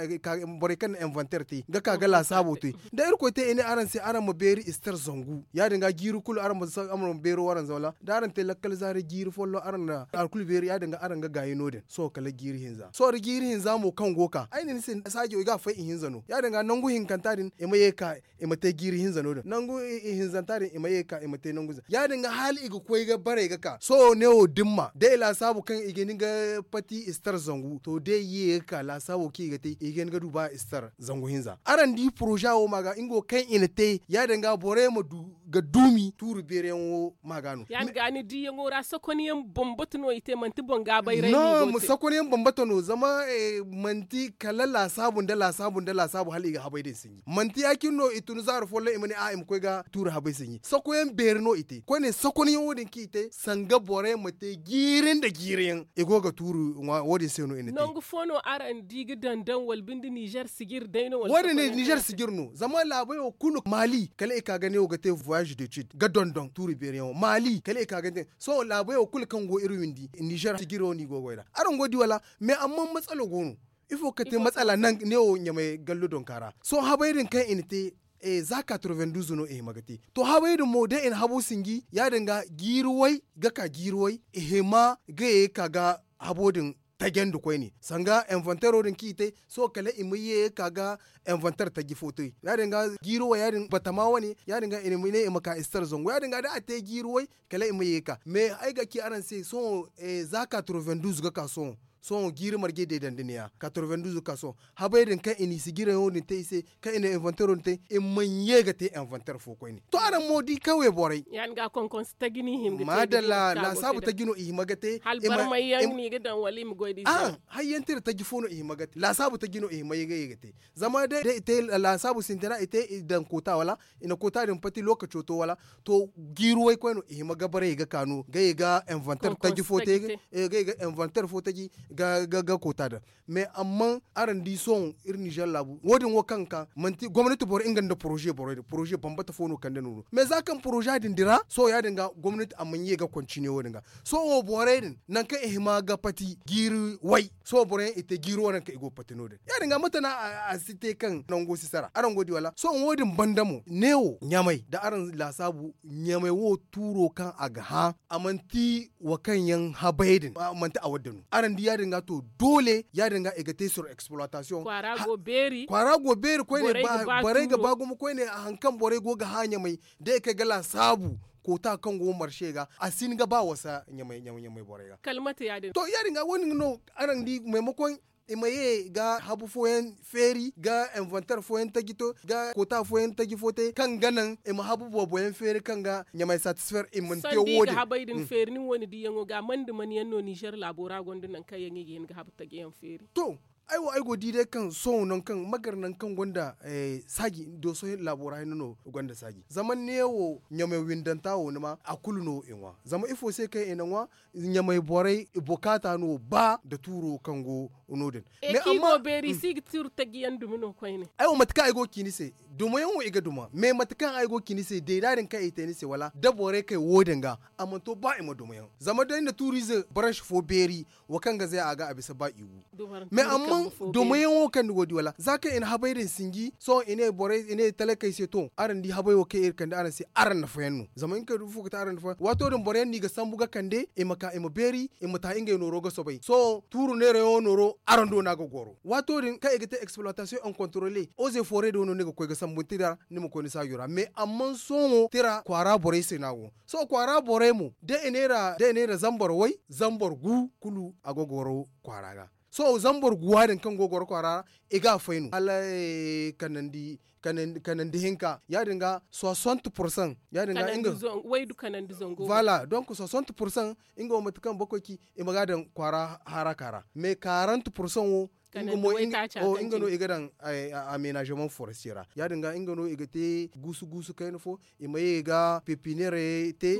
borey kaŋ na inventeer te ga ka ga laasaabo te da irkoy te i ne araŋ se araŋ ma beeri istar zangu ya- din ga jiiri kulu araŋ ma beero waranza wala da araŋ te lakkal zaari jiiri folloŋ araŋ na hari kulu beeri ya- din ga araŋ ga gaayi no- din sohõ kala jiiri hinza sohõ da jiiri hinza mo kaŋ go ga ka ay ne ni se saajo i ga a fay ihinza no ya- din ga nangu hinkanta din i ma ye ga ka i ma te jiiri hinza no- din nangu ihinzanta din i ma ye ga ka i ma te nangu ize ya- din ga hala i ga koy ga bare ga ka sohõ ne wo dimma da i laasaabu kaŋ i ga hin ga pati istar zangu to da i ye ga ka laasaabo kaŋ i ga te i ga hin ga du ba istar zangu hinza araŋ di poroza wo ma ga nga wo kaŋ i na te ya- din ga borey ma du ga duumi tuuri beeri yaŋ wo ma ga no. Ya- din ga ni diiyaŋo ra sokonyaŋ bambata no i te manti boŋ ga bay ra i no i go ga te sokonyaŋ bambata no zama manti kala laasaabu nda laasaabu nda laasaabu hala i ga habay din sinji manti ya- cine no i tun zaari folloŋ i ma ne a i ma koy ga tuuri habay sinji sokoyaŋ beeri no i te koyne sokonyaŋo din kaŋ i te sanga borey ma te jiiri nda jiiri yaŋ i go ga tuuri ŋwa wo- din se no i na te. Nangu fo no araŋ di ga daŋ daŋ wala binde nizer sijir day no wala wo- din ne nizer sijir no zama laabey wo kulu maali kala i ka ga ne wo ga te voyage de cid ga dondon tuuri beeri yaŋo maali kala i ka ga ne sohõ laabey wo kulu kaŋ go iri windi nizer sijiro no i go ga goy nd'a araŋ go ga di wala mais amma matsala go no ifo ga kate matsala ne wo ɲamay gallo donka ra sohõ habay din kaŋ i na te za quatre-vingt-douze no i hima ga te to habay din mo da i na habo sinji ya- din ga jiiri way ga ka jiiri way i hima ga ye ga ka ga habo din tajandi koyne sanga inventeero din kaŋ i te sohõ kala i ma ye ga ka ga inventeer taji fo te ya- din ga jiiri way ya- din batama wane ya- din ga i ne i ma ka istar zangu ya- din ga da a te jiiri way kala i ma ye ga ka mais ay ga ci araŋ se sohõ za quatre-vingt-douze ga ka sohõ sohõ jiiri marje deedandi ne- ya quatre-vingt-douze ga ka sohõ habay din kaŋ i na i sijiraŋo din te i se kaŋ i na inventeero din te i mana ye ga te inventeer fo koyne to araŋ mo di kawye borey. Maadalla laasaabu taji no i hima ga te. Hayyaŋ tira taji fo no i hima ga te laasaabu taji no i hima ye ga ye ga te zama day da i te laasaabu sintina i te i daŋ koota wala i na koota din pati lookaco to wala to jiiri way koyne i hima ga bare i ga kaanu ga ye ga inventeer taji fo te ga ye ga inventeer fo taji ga koota din mais amma araŋ di sohõ iri nizer laabu wo- din wo kaŋ ga ka manti gomnati boro nga nda poroze borey din poroze bambata fo no kande nooro mais za kaŋ poroza din dira sohõ ya- din ga gomnati a mana ye ga kontiniye wo- din ga sohõ wo borey din nangu kaŋ i hima ga pati jiiri way sohõ boro yaŋ i te jiiri wo nangu kaŋ i go ga pati no- din ya- din ga mate no a si te kaŋ nango si sara araŋ go ga di wala sohõ wo- din banda mo ne wo ɲamay da araŋ laasaabu ɲamay wo tuuro kaŋ a ga hã a manti wo kaŋ yaŋ habay din manti a wadde no araŋ di ya- din ga to doole ya- din ga i ga te sur exploitation kwaara go beeri koyne borey ga ba gumo koyne hari kaŋ borey go ga hã ɲamay da i kay ga laasaabu koota kaŋ go marse ga a si hin ga ba wasa ɲamay borey ga. To ya- din ga wo- din no araŋ di maimakon i ma ye ga habu fooyaŋ feeri ga inventeer fooyaŋ taji to ga koota fooyaŋ taji fo te kaŋ ga naŋ i ma habu boobo yaŋ feeri kaŋ ga ɲamay satisfer i mana te wo- din. Habay din feeri nin wo- ni diiyaŋo ga mande mana yaŋ no nizer laabo ra gonda nangu kaŋ yaŋ i ga hin ga habu taji yaŋ feeri. To ay wo ay go ga di day kaŋ sohõ nangu kaŋ magar nangu kaŋ gonda saaji dooso laabo ra hinne no gonda saaji zama ne wo ɲamay windanta wo ni ma a kulu no i ŋwa zama ifo se kaŋ i na ŋwa ɲamay borey i bukaata no ba nda tuuro kaŋ go no- din. Kaŋ i go beeri i si ga tuuri taji yaŋ dumi no koyne. Ay wo mate kaŋ ay go ga ci ni se dumo yaŋ wo i ga duma mais mate kaŋ ay go ga ci ni se deeda din kaŋ i te ni se wala da borey kay wo- din ga a mana to ba i ma duma yaŋ zama da ni na tuuriize branche fo beeri wo kaŋ ga zay a ga a bisa ba i wu mais amma domayaŋo kaŋ ni go ga di wala za kaŋ i na habay din sinji sohõ i ne borey i ne talakey se to araŋ di habay wo kaŋ iri kande araŋ se araŋ nafayaŋ no zama nga kaŋ du fo ga te araŋ nafayaŋ waato din boroyaŋ no i ga sambu ga kande i ma ka i ma beeri i ma ta ngey nooro ga soobay sohõ tuuru neerayaŋo nooro araŋ do no a ga goro waato din kaŋ i ga te exploitation en controle oze fooray do no ni ga koy ga sambu ni tira ni ma koy ni saajo ra mais amma sohõ tira kwaara borey se no a go sohõ kwaara borey mo da i ne ra zambar way zambar gu kulu a ga goro kwaara ga sohõ zambar guwa din kaŋ go ga goro kwaara ra i ga a fay no hala kanandi kanandi hinka ya- din ga soixante pourcent ya- din ga nga. Voilà, donc soixante pourcent nga wo mate kaŋ bakoy ci i ma ga daŋ kwaara haraka ra mais quarante pourcent wo nga no i ga daŋ amenagement forestier ra ya- din ga nga no i ga te guusu guusu kayna fo i ma ye ga pepinere te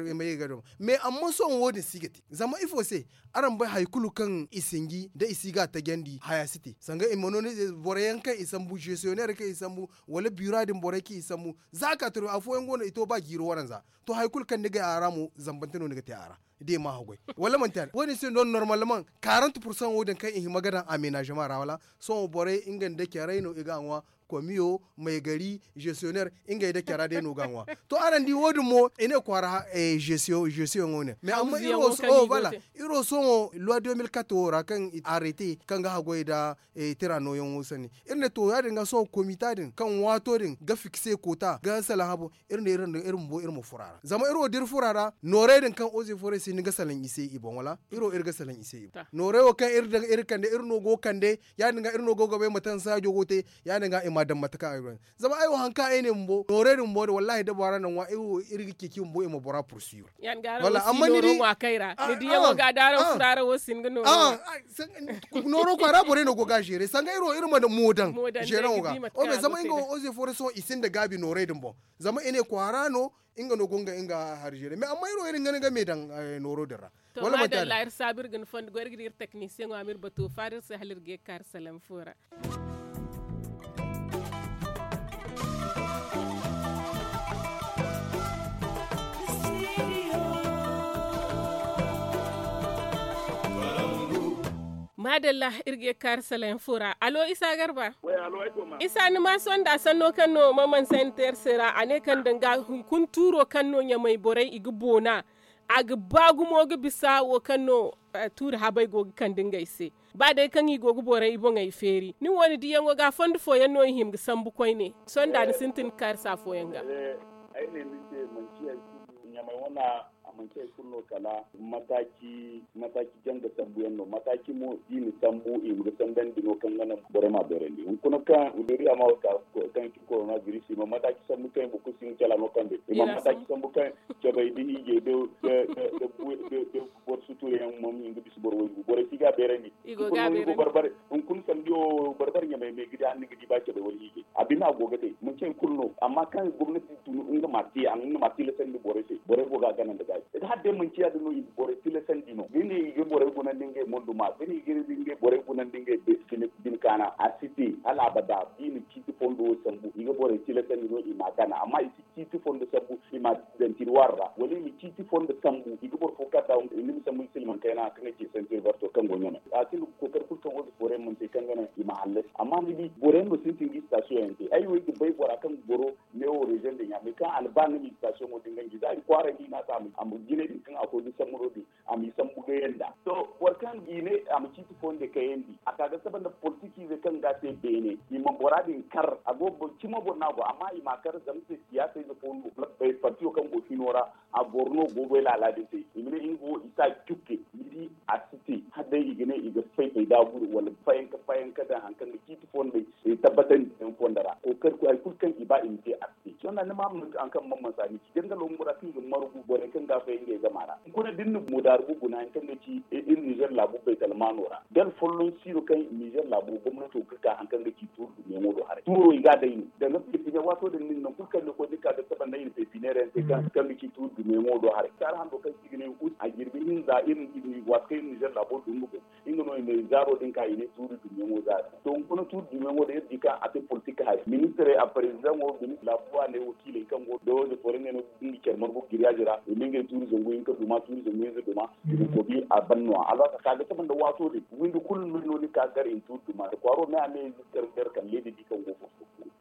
i ma ye ga doma. Mais amma sohõ wo- din si ga te zama ifo se araŋ bay hari kulu kaŋ i sinji da i si ga a tajandi haya si te sanga i ma no ni borey yaŋ kaŋ i sambu gestionnaire kaŋ i sambu wala bura din borey kaŋ i sambu za a ka tiro afooyaŋ go no i to ba jiiri waranza. To hari kulu kaŋ ni ga a ra mo zambante no ni ga te a ra da i ma haggoy wala manti a wo- din se no normalement quarante pourcent wo- din kaŋ i hima ga daŋ amenagement ra wala sohõ borey nga nda caray no i ga a ŋwa komiyo maygari gestionnaire ngey da cara day no ga ŋwa. To araŋ di wo- din mo i ne kwaara gestion yaŋo ne mais amma iro sohõ loi deux mille quatre wo ra kaŋ arrêté kaŋ ga haggoy nda tira nooyaŋo sanni iri ne to ya- din ga sohõ komita din kaŋ waato din ga fikse koota ga salaŋ habo iri ne iri ma bo iri ma furo a ra zama iri wo da iri furo a ra noorey din kaŋ oze fooray se ni ga salaŋ i se i boŋ wala iri wo iri ga salaŋ i se i boŋ noorey wo kaŋ iri daŋ iri kande iri no go kande ya- din ga iri no go ga bay mate kaŋ saajo go te ya- din ga i ma a daŋ mate kaŋ a ga bay zama ay wo hari kaŋ ay ne bumbo noorey din bumbo wallaahi da bora na ŋwa iri ga ceeci bumbo i ma bora pursuivre. Wala amma ni di ni diyaŋo ga da araŋ furo araŋ wo si hin ga nooro nooro kwaara borey no go ga a zeere sanga iri wo iri ma mo daŋ zeeraŋo ga o me zama nga wo oze fooray sohõ i sinda gaabi noorey din boŋ zama i ne kwaara no nga no go nga nga hari zeere mais amma iri wo iri ga ni ga me daŋ nooro din ra. Wala manti a din. Iri saabu iri ga ni fondo goy iri ga di iri teknisiyeŋo a ma iri bato faada iri se hala iri ga ye ga kaari salaŋ fo ra. Maadalla iri ga ye ga kaari salaŋ fo ra alo isa garba. Isa ni ma sonda sanno kaŋ no maman sayniteer se ra a ne kaŋ danga hunkuna tuuro kaŋ no ɲamay borey i ga boona a ga ba gumo ga bisa wo kaŋ no tuuri habay go ga kande ngey se. Ba day kaŋ i go ga borey i boŋey feeri ni wo ni diyaŋo ga fondo fooyaŋ no i hima ga sambu koyne sonda ni sintin ga kaarisa fooyaŋ ga. Ay ne ni se manci hari kulu ɲamay wana a manci hari kulu no kala mataaci mataaci janga sambu yaŋ no mataaci mo da i na sambu i ma ga sandandi no kaŋ ga naŋ borey ma a beerandi hunkuna kaŋ wuduriya ma kaŋ i ci korona biris i ma mataaci sambu kaŋ i ma kulu si nga cala no kaŋ day i ma mataaci sambu kaŋ cabay da hiijay da boro sutuuriyaŋ ma nga bisa boro waygu borey si ga a beerandi. Hunkuna sambi wo barbare ɲamay me ga di hanni ga di ba cabay wala hiijay a bine a go ga te manci hari kulu no amma kaŋ gomnati tun nga ma te a nga ma tilasandi borey se borey go ga a gana nda gaayi hala day manci ya- din no i ga borey tilasandi no da i ne i ga borey gunandi ngey monduma da i ne i ga borey gunandi ngey bine kaana a si te hala abada da i na ciiti fondo wo sambu i ga borey tilasandi no i ma a gana amma i si ciiti fondo sambu i ma daŋ tirwaari ra wala i ma ciiti fondo sambu i ga boro fo kaŋ a daŋ ni ma sambu ni silmaŋ kayna kaŋ ga ci santir barto kaŋ go ɲamay a sinda ga kookari kulu kaŋ go ga foore mana te kaŋ ga naŋ i ma hallasi amma ni di boro yaŋ no sintin ga sitasiyoŋ yaŋ te ay wo ay ga bay bora kaŋ ga goro neewo reziyoŋ din ya mais kaŋ a na ba nga ma sitasiyoŋo din ganji za i kwaaray da i na a se a ma jinay din kaŋ a koy ga sambu no din a m'i sambu gayanda to boro kaŋ i ne a ma ciiti fooyaŋ day kayandi a ka ga saba nda politikiize kaŋ ga a te beene i ma bora din kar a go ga cimo boro no a go amma i m'a kar zama se siyaasayze fo no partiyo kaŋ go hino ra a goro no go goy laala din se i ma ne nga wo i si a jukke ni di a si te hala day i ga ne i ga fay fay da guru wala fayanka fayanka daŋ hari kaŋ ga ciiti fooyaŋ day tabbatandi yaŋ fonda ra kookari koy hari kulu kaŋ i ba i ma te a si te sohõ da ni ma haŋ kaŋ man mansa ni ci dangalo bumbo ra kaŋ i ga margu borey kaŋ ga a fay ngey zama ra hunkuna da iri na moodaari guna hari kaŋ ga ci iri nizer laabu baytalmaano ra dala folloŋ siino kaŋ nizer laabu gomnato ga ka hari kaŋ ga ci tuuri dumiyaŋo do haray tuuro i ga a day no danga pepiniyeer waato din nin nangu kulu kaŋ ni koy ni ka ga saba nda i na pepiniyeer yaŋ te kaŋ ga ci tuuri dumiyaŋo do haray kaara hando kaŋ se i ga ne ut a jirbi hinza iri waati kaŋ iri nizer laabo dungu boŋ nga no i ne zaaro din ka i ne tuuri dumiyaŋo zaaro to hunkuna tuuri dumiyaŋo din iri di kaŋ a te politik hari ministirey a parezidaŋo ministir laabu a ne wakiiley kaŋ go dawayze fooyaŋ ngey no ga care margu giriyaazi ra i ma ngey tuuri zangu hinka duma tuuri zangu hinza duma i ma kobi a ban no-ya alors a ka ga saba nda waato din windi kulu no no ni ka gar i ma tuuri duma nda kwaaro me a me ize care care kala leeda di kaŋ go fo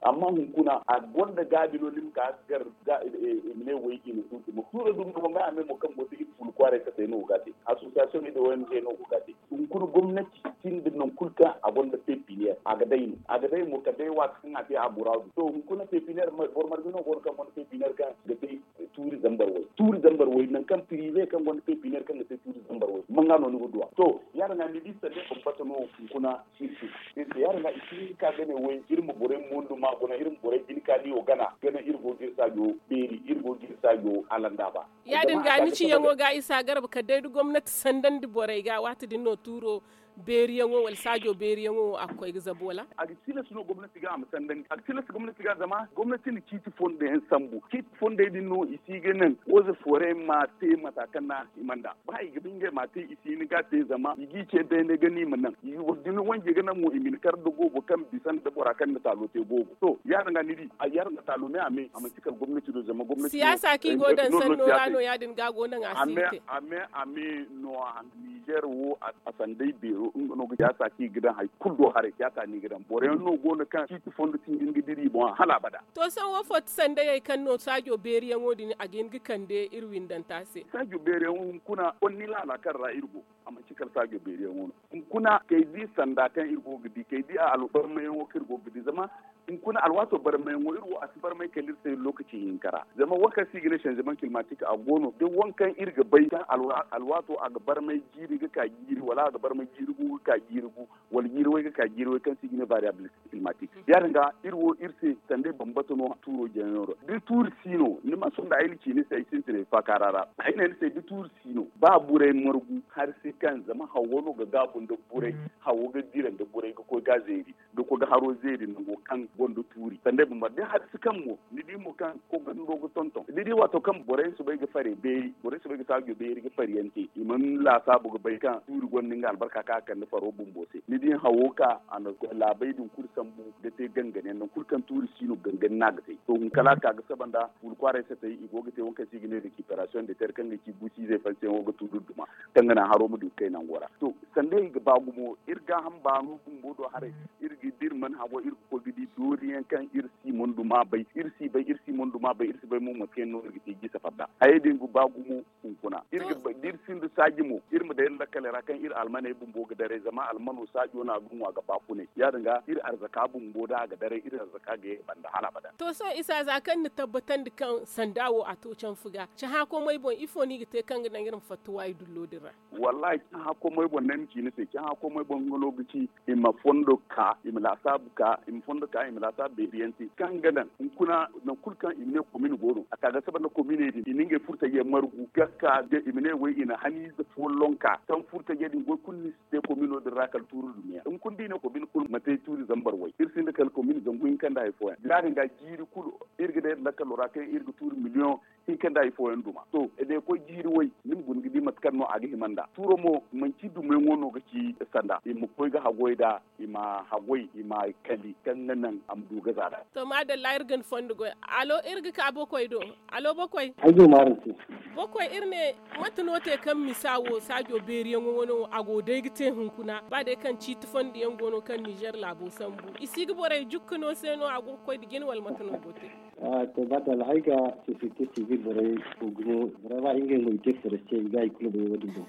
amma hunkuna a gonda gaabi no ni ma ka gar i ma ne way i ma tuuri duma tuuro duma mo me a me mo kaŋ go te iri fulu kwaaray katey no go ga a te association nda ong no go ga a te hunkuna gomnati sinda nangu kulu kaŋ a gonda pepiniyeer a ga day no a ga day mo kala day waati kaŋ a te a muraadu to hunkuna pepiniyeer boro marga no go no kaŋ gonda pepiniyeer kaŋ ga te tuuri zambar way tuuri zambar way nangu kaŋ pirize kaŋ gonda pepiniyeer kaŋ ga te tuuri zambar way manga no ni ga duw'a to Yaadin ga ni di sanda bambata no hunkuna. Iri se yaadin ga i si hin ga ka ga ne way iri ma borey mondo ma guna iri ma borey jina ka niyo gana gana iri go ga iri saajo beeri iri go ga iri saajo alandaaba. Yaadin ga ni ciyaŋo ga isa garba kala day da gomnati sandandi borey ga waati din no tuuro beeriyaŋo wala saajo beeriyaŋo a ga koy ga zabu wala? A ga tilas no gomnati ga a ma sandandi a ga tilas gomnati ga zama gomnati na ciiti fondo yaŋ sambu ciiti fondey din no i si ga naŋ wooze foorey ma te mata kaŋ no a hima nd'a ba i ga ba ngey ma te i si hin ga te zama i g'i ce beene ga no i ma naŋ i ga boro dumi wanje ga naŋ mo i ma hin kar nda goobo kaŋ bisa nda bora kaŋ na taalo te goobo to yaadin ga ni di a yaadin ga taalo me a me a manti kala gomnati do zama gomnati siyaasa kaŋ i go daŋ sanno ra no yaadin ga go naŋ a si te. A me a me no a handu nizer wo a sanday beero nga no ga siyaasa kaŋ i ga daŋ hari kulu do haray siyaasa no i ga daŋ boro yaŋ no go no kaŋ ciiti fondo ti nga dira i boŋ hala abada. To sohõ wo fo ti sandayey kaŋ no saajo beeriyaŋo din a ga hin ga kande iri windanta se? Saajo beeriyaŋo hunkuna konni laala kaŋ ra iri go a manti kala saajo beeriyaŋo no. Hunkuna kay di sanda kaŋ iri go ga di kay di a albarmayaŋo kaŋ iri go ga di zama hunkuna alwaato barmayaŋo iri wo a si barmay kala iri se lookaci hinka ra zama wo kaŋ se i ga ne sanzeman kilmatik a go no da wo kaŋ iri ga bay kaŋ alwaato a ga barmay jiiri ga ka jiiri wala a ga barmay jiiri gu ga ka jiiri gu wala jiiri way ga ka jiiri way kaŋ se i ga ne variyabil. Climatique yaadin ga iri wo iri se sanda ay bambata no tuuro jaŋo ra da tuuri si no ni ma sonda ay na ci ni se ay sintinay faakaara ra ay ne ni se da tuuri si no ba burey margu hari se kaŋ zama hawo no ga gaabu nda burey hawo ga dira nda burey ga koy ga zeeri ga koy ga haro zeeri nango kaŋ gonda tuuri sanda ay bambata da hari se kaŋ mo ni di mo kaŋ kogando ga tonton ni di waato kaŋ borey si bay ga fare beeri borey si bay ga saajo beeri ga fariyaŋ te i mana laasaabu ga bay kaŋ tuuri gonda nga albarka kaŋ a kande faro bumbo se ni di hawo ka a na laabey din kulu sambu ga te gangan yaŋ nangu kulu kaŋ tuuri si no gangan no a ga te to hunkala ka ga saba nda wulu kwaaray satay i go ga te wo kaŋ se i ga ne rekiperasiyoŋ de ter kaŋ ga ci guusi izey fansiyaŋo ga tuuri duma kaŋ ga naŋ haro ma du ga kay nango ra to sanda i ga ba gumo iri gaaham baano bumbo do haray iri ga da iri mana habo iri ga koy ga di dooriyaŋ kaŋ iri si mondu ma bay iri si bay iri si mondu ma bay iri si bay mo mate kaŋ no iri ga te jisa fadda hayey din ga ba gumo hunkuna iri ga bay da iri sinda saaji mo iri ma day iri lakkaley ra kaŋ iri almaney bumbo ga daray zama almano saajo no a ga ŋwa ga baafunay yaadin ga iri arzaka bumbo da a ga daray iri arzaka ga ye banda hala abada. To sohõ isa za kaŋ ni tabbatandi kaŋ sanda wo a to canfu ga cahã komey boŋ ifo no i ga te kaŋ ga naŋ iri ma fatta waayi dullo din ra? Wallahi cahã komey boŋ no ay ma ci ni se cahã komey boŋ nga no ga ci i ma fondo ka i ma laasaabu ka i ma fondo ka i ma laasaabu beeriyaŋ te kaŋ ga naŋ hunkuna nangu kulu kaŋ i ma ne komin go no a ka ga saba nda kominey din i na ngey furtajey margu ga ka ga i ma ne way i na haniize folloŋ ka kaŋ furtajey din goy kulu ni si te komino din ra kala tuuri dumiyaŋ hunkuna da i ne komin kulu ma te tuuri zambar way iri sinda kala komin zangu hinka nda hari fooyaŋ yaadin ga jiiri kulu iri ga day iri lakkalo ra kaŋ iri ga tuuri miliyoŋ hinka nda hari fooyaŋ duma to da i koy jiiri way ni ma guna ga di mate kaŋ no a ga hima nd'a tuuro mo manci dumiyaŋo no ga ci sanda i ma koy ga hagoy nd'a i ma haggoy i ma kali kaŋ ga naŋ a ma du ga zaada. To maadalla iri ga ni fondo goy. Alo iri ga ka bokoy do. Alo bokoy. Ay go maaran se. Bokoy iri ne mate no te kaŋ misa wo saajo beeriyaŋo wano a go day ga te hunkuna ba day kaŋ ciiti fondo yaŋ go no kaŋ nizer laabo sambu i si ga borey jukka no se no a go ga koy nda jine wala mate no go te? Ah, to maadalla ay ga sosiyete sivil borey go gumo vraiment ngey mo i te forestier i ga i kulu bay wo- din boŋ.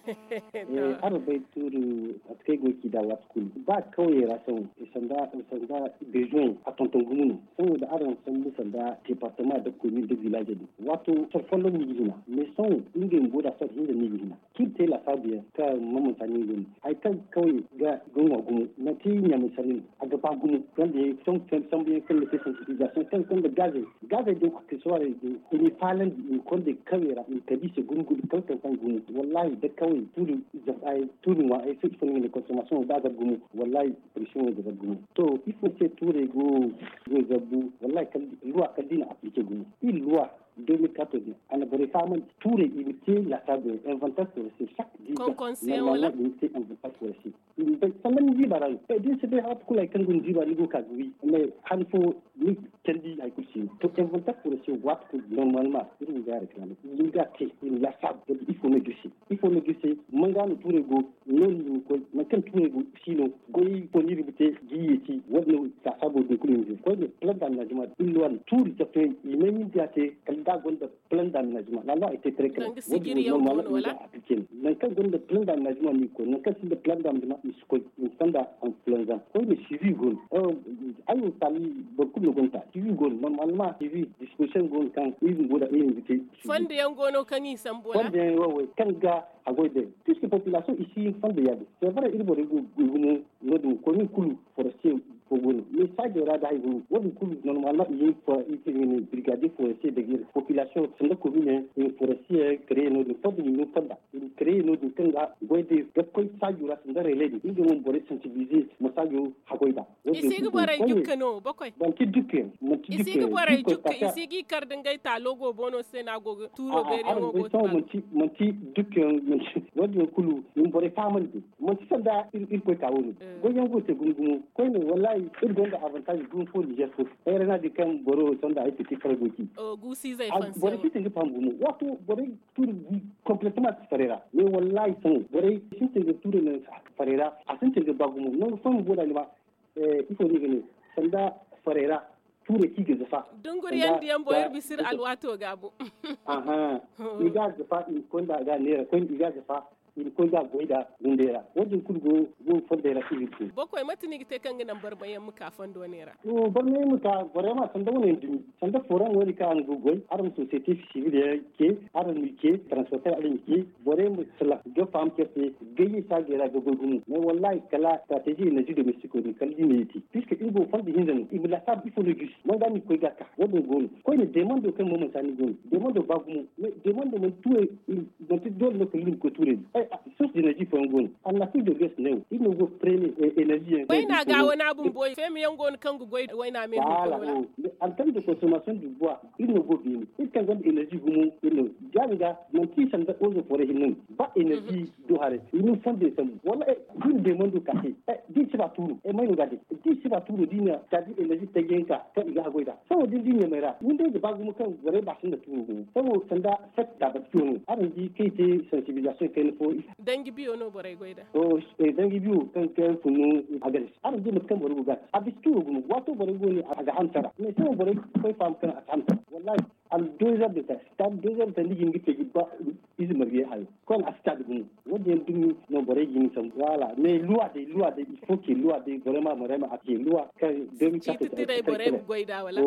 Araŋ bay tuuri mate kaŋ ay go ga ci nd'a waati kulu ba kawyey ra sohõ sanda bezoin a tonton gumo no. Sohõ da araŋ sambu sanda departement da komin da village din waato soro folloŋ no i ga hina mais sohõ ngey bumbo da soro hinza no i ga hina kaŋ iri te laasaabu yaŋ kaŋ mamansa no i ga hina hari kaŋ kawye ga ŋwa gumo manti ɲaamay sanni no a ga ba gumo. Sanda yaŋ sambu yaŋ kaŋ ga te sensibilisation kaŋ gonda gaazey gaazey din accessoirey din i n'i faalandi i ma konda kawey ra i ma kande i se gumo gumo kala kaŋ kaŋ gumo wallahi da kawey tuuri ŋwa ay se ifo no i ga ne consommation wo ba zabu gumo. Wallahi pression wo ga zabu gumo. To ifo se tuurey go ga zabu wallahi luwa kala da i na appliquer gumo iri luwa deux mille quatorze a na borey fahamandi tuurey i ma te laasaabu yaŋ inventaire forestier chaque dix ans. Normalement i ma te inventaire forestier i ma bay sanda ni ziiba ra no da ni si bay waati kulu hari kaŋ go ni ziiba ni go ga ka ga wi mais han fo ni candi hari kulu si no to inventaire forestier waati kulu normalement iri ma ga réclamer i ma ga te i ma laasaabu ga di ifo no ga iri se ifo no ga iri se manga no tuurey go noodin i ma koy nangu kaŋ tuurey go. si no. Goy fo no iri ga te ga i yeeti wo- din no. Saasaabo din kulu hinza koyne plan d'aménagement iri no a na tuuri cafe i may nin da ya te kala da a gonda plan d'aménagement la loi a te trekrek. Wo- din no normal no i ga appliquer no nangu kaŋ gonda plan d'aménagement no i ga koy nangu kaŋ sinda plan d'aménagement i si koy i ma sanda. Influenza koyne suivi go no. Ay wo taali boro kulu no gonda suivi go no normalement suivi disposition go no kaŋ iri bumbo da iri ga te. Fondo yaŋ go no kaŋ i sambu wala fondo yaŋ wo- wo kaŋ ga a goy day puisque population i si hin fondo ya- din c'est vrai iri borey go gumo. No- din komin kulu forestier fo go no mais saajo ra da hari go no wo- din kulu normalement i hin brigadier forestier da ga iri population sanda commune yaŋ i ma forestier yaŋ créer no- din fondo i ma hin fonda i ma créer no- din kaŋ ga goy day ga koy saajo ra sanda relais din nga mo ma borey sensibiliser ma saajo hagoy da. I si ga borey dukka no bokoy. Manti dukka yaŋ manti dukka yaŋ i si ga i kar da ngey taalo go boono se no a go ga tuuro beeri yaŋo go ga taalo. Manti dukka yaŋ manti wo- din yaŋ kulu i ma borey fahamandi manti sanda irkoy ka wo- no. Goy yaŋ go ga te gumo gumo koyne wallahi iri gonda avantage gumo fo nizer fo. Ay ra no a di kaŋ boro sanda ay fiti kar go ci. Borey si sintin ga faham gumo waato borey tuuri complètement farey ra mais wallahi sohõ borey sintin ga tuuri naŋ farey ra. A sintin ga ba gumo nangu fooyaŋ go da ni ma ifo no i ga ne sanda farey ra tuurey kaŋ i ga zafa. Dunguriyaŋ diyaŋ boŋ iri bisa iri alwaato ga a boŋ. Aha i ga a zafa i ma koy nda a ga a neera koy i ga a zafa i ma koy ga a goy nda windey ra wo- din kulu go go fondey ra kaŋ i ga te. Bokoy mate no i ga te kaŋ ga naŋ barmayaŋ ma ka fondo neera? Barmayaŋ ma ka borey ma sanda wane yaŋ dumi sanda foraŋ wo- din kaŋ araŋ go ga goy araŋ ma société civil yaŋ ce araŋ ma i ce transporter araŋ ma i ce borey ma salaŋ ga faham care se. Gayye saajey ra ga goy gumo mais wallahi kala stratégie énergie domestique wo- din kala da i ma yeeti puisque iri go fondo hinza no i ma laasaabu ifo no jus man ga no i ga koy ga a ka wo- din go no. Koyne demando kaŋ mo manti a no i go no demando ba gumo mais demando manti tuurey manti doole no kala iri ma koy tuurey do. Source d'énergie fooyaŋ go no annafrique de l'ouest ne wo iri no go premier énergie yaŋ wayna ga wana bumbo feema yaŋ go no kaŋ ga goy wayna me hunkuna wala? Antenne de consommation du bois iri no go beene iri kaŋ gonda energy gumo iri no. Ya- din ga manti sanda ozo foore hinne no ba energy do haray i ma ni fondey sambu wala da i na deemando ka te da i si ba tuuro may no ga a day da i si ba tuuro da i na kala da energy taji yaŋ ka kaŋ i ga haggoy nd'a sabo da ni di ɲamey ra windey ga ba gumo kaŋ borey ba sinda tuuro gumo sabo sanda fek da batkiyo no araŋ di kaŋ i te sensibilisation kayna fo. Danji biyo no borey goy nd'a. Danji biyo kaŋ ga funu a ga day araŋ di mate kaŋ borey go ga a te a bisa tuuro gumo waato borey go ne a ga hamsa ra mais sabo borey koy faham kaŋ a si hamsa ra wallahi. Aldozer de ta sitade dozer de ta ni ga hin ga te ga ba ize marge hayo koy a sitade gumo. Wo- din yaŋ dumi no borey ga hin sambu waala mais luwa day luwa day il faut que luwa day borey ma borey ma a te luwa kaŋ day mi kate. Borey ma goy nd'a wala?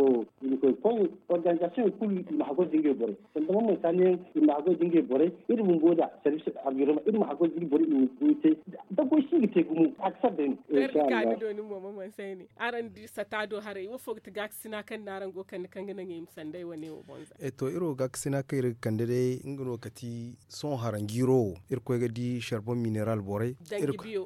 Koy organisation yaŋ kulu i ma haggoy da ngey borey sanda man manti a ne yaŋ i ma haggoy da ngey borey iri bumbo nd'a service environnement iri ma haggoy da iri borey i ma goy te. Da goy si ga te gumo a ga sara day no. Araŋ di sata do haray wo fo ga ti gaakasina kaŋ no araŋ go ga kande kaŋ ga naŋ i ma sanday wane wo boŋ za. To iri wo gaakasina kaŋ iri ga kande day nga no kati sohõ haranjiiro wo iri koy ga di charbon mineral borey.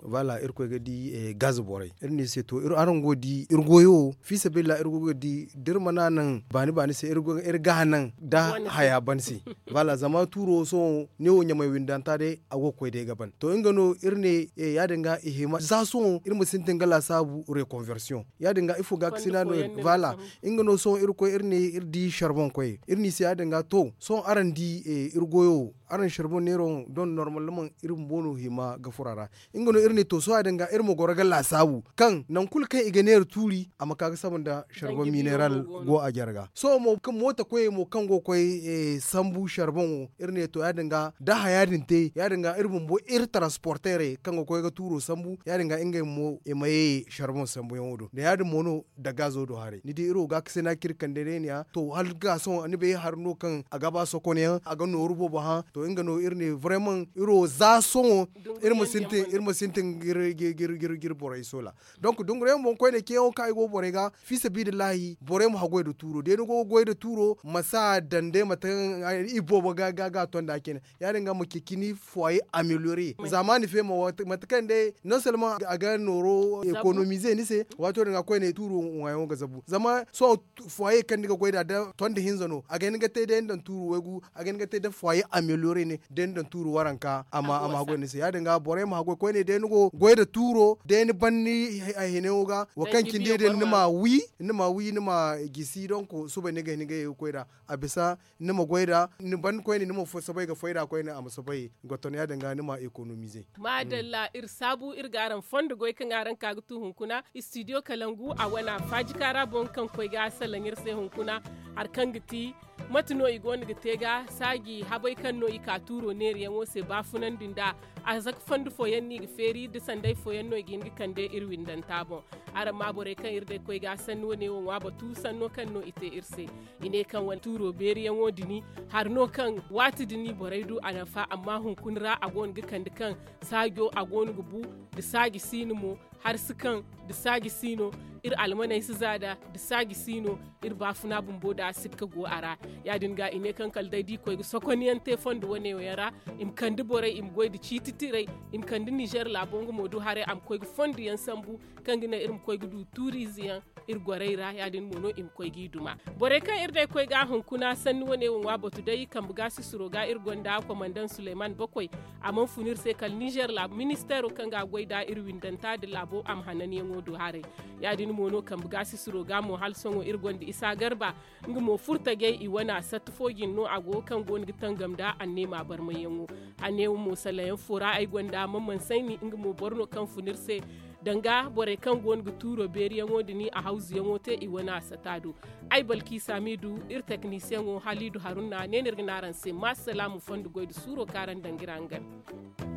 Voilà iri koy ga di gaz borey iri ne i se to araŋ go ga di iri goyo wo fiisabilillah iri go ga di da iri mana naŋ baani baani se iri ga hanaŋ da haya ban se. Voilà zama tuuro wo sohõ ne wo ɲamay windanta day a go ga koy day ga ban to nga no iri ne ya- din ga i hima za sohõ iri ma sintin ga laasaabu reconversion ya- din ga ifo gaakasina no iri ga. Voilà nga no sohõ iri koy iri ne iri di charbon koy iri ne i se ya- din ga to sohõ araŋ di iri goyo wo araŋ charbon neero don normalement iri bumbo no hima ga furo a ra. Nga no iri ne to sohõ ya- din ga iri ma goro ga laasaabu kaŋ nangu kulu kaŋ i ga neera tuuri a ma ka ga saba nda charbon mineral go a jarga sohõ mo kaŋ moota koyey mo kaŋ go ga koy sambu charbon wo iri ne to ya- din ga da haya din te ya- din ga iri bumbo iri transporteerey kaŋ ga koy ga tuuro sambu ya- din ga ngey mo i ma ye charbon sambuyaŋo do da ya- din mo no da gazo do haray ni di iri wo gaakasina kaŋ iri kande day ne ya to hala ga sohõ ni bay hari no kaŋ a ga ba sokonyaŋ a ga nooru boobo hã to nga no iri ne vraiment iri wo za sohõ iri ma sintin ga iri borey soola. Donc dunguriyaŋ boŋ koyne ceeyaŋo kaŋ ay go borey ga fiisabilillahi borey ma haggoy nda tuuro day ni go ga goy nda tuuro ma si a daŋ day mate kaŋ i boobo ga ga a to nd'a cine. Ya- din ga ma ceeci ni foyer amélioré zaamaani feema mate kaŋ day non seulement a ga nooro économiser ni se waato din ga koyne tuuro ŋwaayaŋo ga zabu zama sohõ foyer kaŋ ni ga goy nd'a da tondi hinza no. A ga hin ga te day ni daŋ tuuru waygu, a ga hin ga te da fwaye amelyore ne day ni daŋ tuuru waranka a ma goy ni se ya- din ga borey ma haggoy koyne day ni go goy nda tuuro day ni ban ni hinayaŋo ga, wo kaŋ cindi day ni ma wi ni ma gisi donk. Subay ni ga hin ga ye ga koy nd'a a bisa ni ma goy nd'a ni ban koyne ni ma soobay ga fay nd'a koyne a ma soobay ga ton ya- din ga ni ma ekonomize. Maadalla iri saabu iri ga araŋ fondo goy kaŋ araŋ ka ga tu hunkuna istidiyo kalangu a wana faajika ra boŋ kaŋ koy ga salaŋ iri se hunkuna. Hari kaŋ ga ti mate no i go no ga te ga saaji habay kaŋ no i ka tuuro neeriyaŋo se baafunandi nd'a. A zaka fondo fooyaŋ no i ga feeri da sanday fooyaŋ no i ga hin ga kande iri windanta boŋ. Araŋ ma borey kaŋ iri day koy ga sanni wane wo ŋwa batu sanno kaŋ no i te iri se. I ne kaŋ wane tuuro beeriyaŋo dini hari no kaŋ waati dini borey du a nafa amma hunkuna ra a go no ga kande kaŋ saajo a go no ga bu da saaji si no mo. Hari si kaŋ da saaji si no iri almaney si za nd'a da saaji si no. Iri baafuna bumbo da sikka go a ra. Ya- din ga i ne kaŋ kala day da i koy ga sokoniyaŋ te fondo wane wo yaŋ ra i ma kande borey i ma goy nda ciiti tirey i ma kande nizer laabo nga mo du haray a ma koy ga fondo yaŋ sambu kaŋ ga naŋ iri ma koy ga du tuuriize yaŋ iri gorey ra ya- din mo no i ma koy g'i duma. Borey kaŋ iri day koy ga hunkuna sanni wane wo ŋwa batu day kambe ga sisiro ga iri gonda komandaŋ suleyman bakoy. A mana fun iri se kala nizer laabu ministeero kaŋ ga a goy nd'a iri windanta nda laabo a ma hananyaŋo du haray. Ya- din mo no kambe ga sisiro ga mo hala sohõ iri gonda isa garba. Nga mo furtajey i wane a satta fo jine no a go kaŋ go no ga tangam nda anneema barmayyaŋo. Anneema mo salayaŋ fo ra ay gonda man mansayni nga mo boro no kaŋ fun iri se danga borey kaŋ go no ga tuuro beeriyaŋo nda ni a hawzuyaŋo te i wane a sata do. Ay balki saamiidu iri teknisiyaŋo haliidu harunna ne no iri ga ne araŋ se ma salaamu fondo goy nda suuro kaŋ araŋ daŋ ga iri hangan.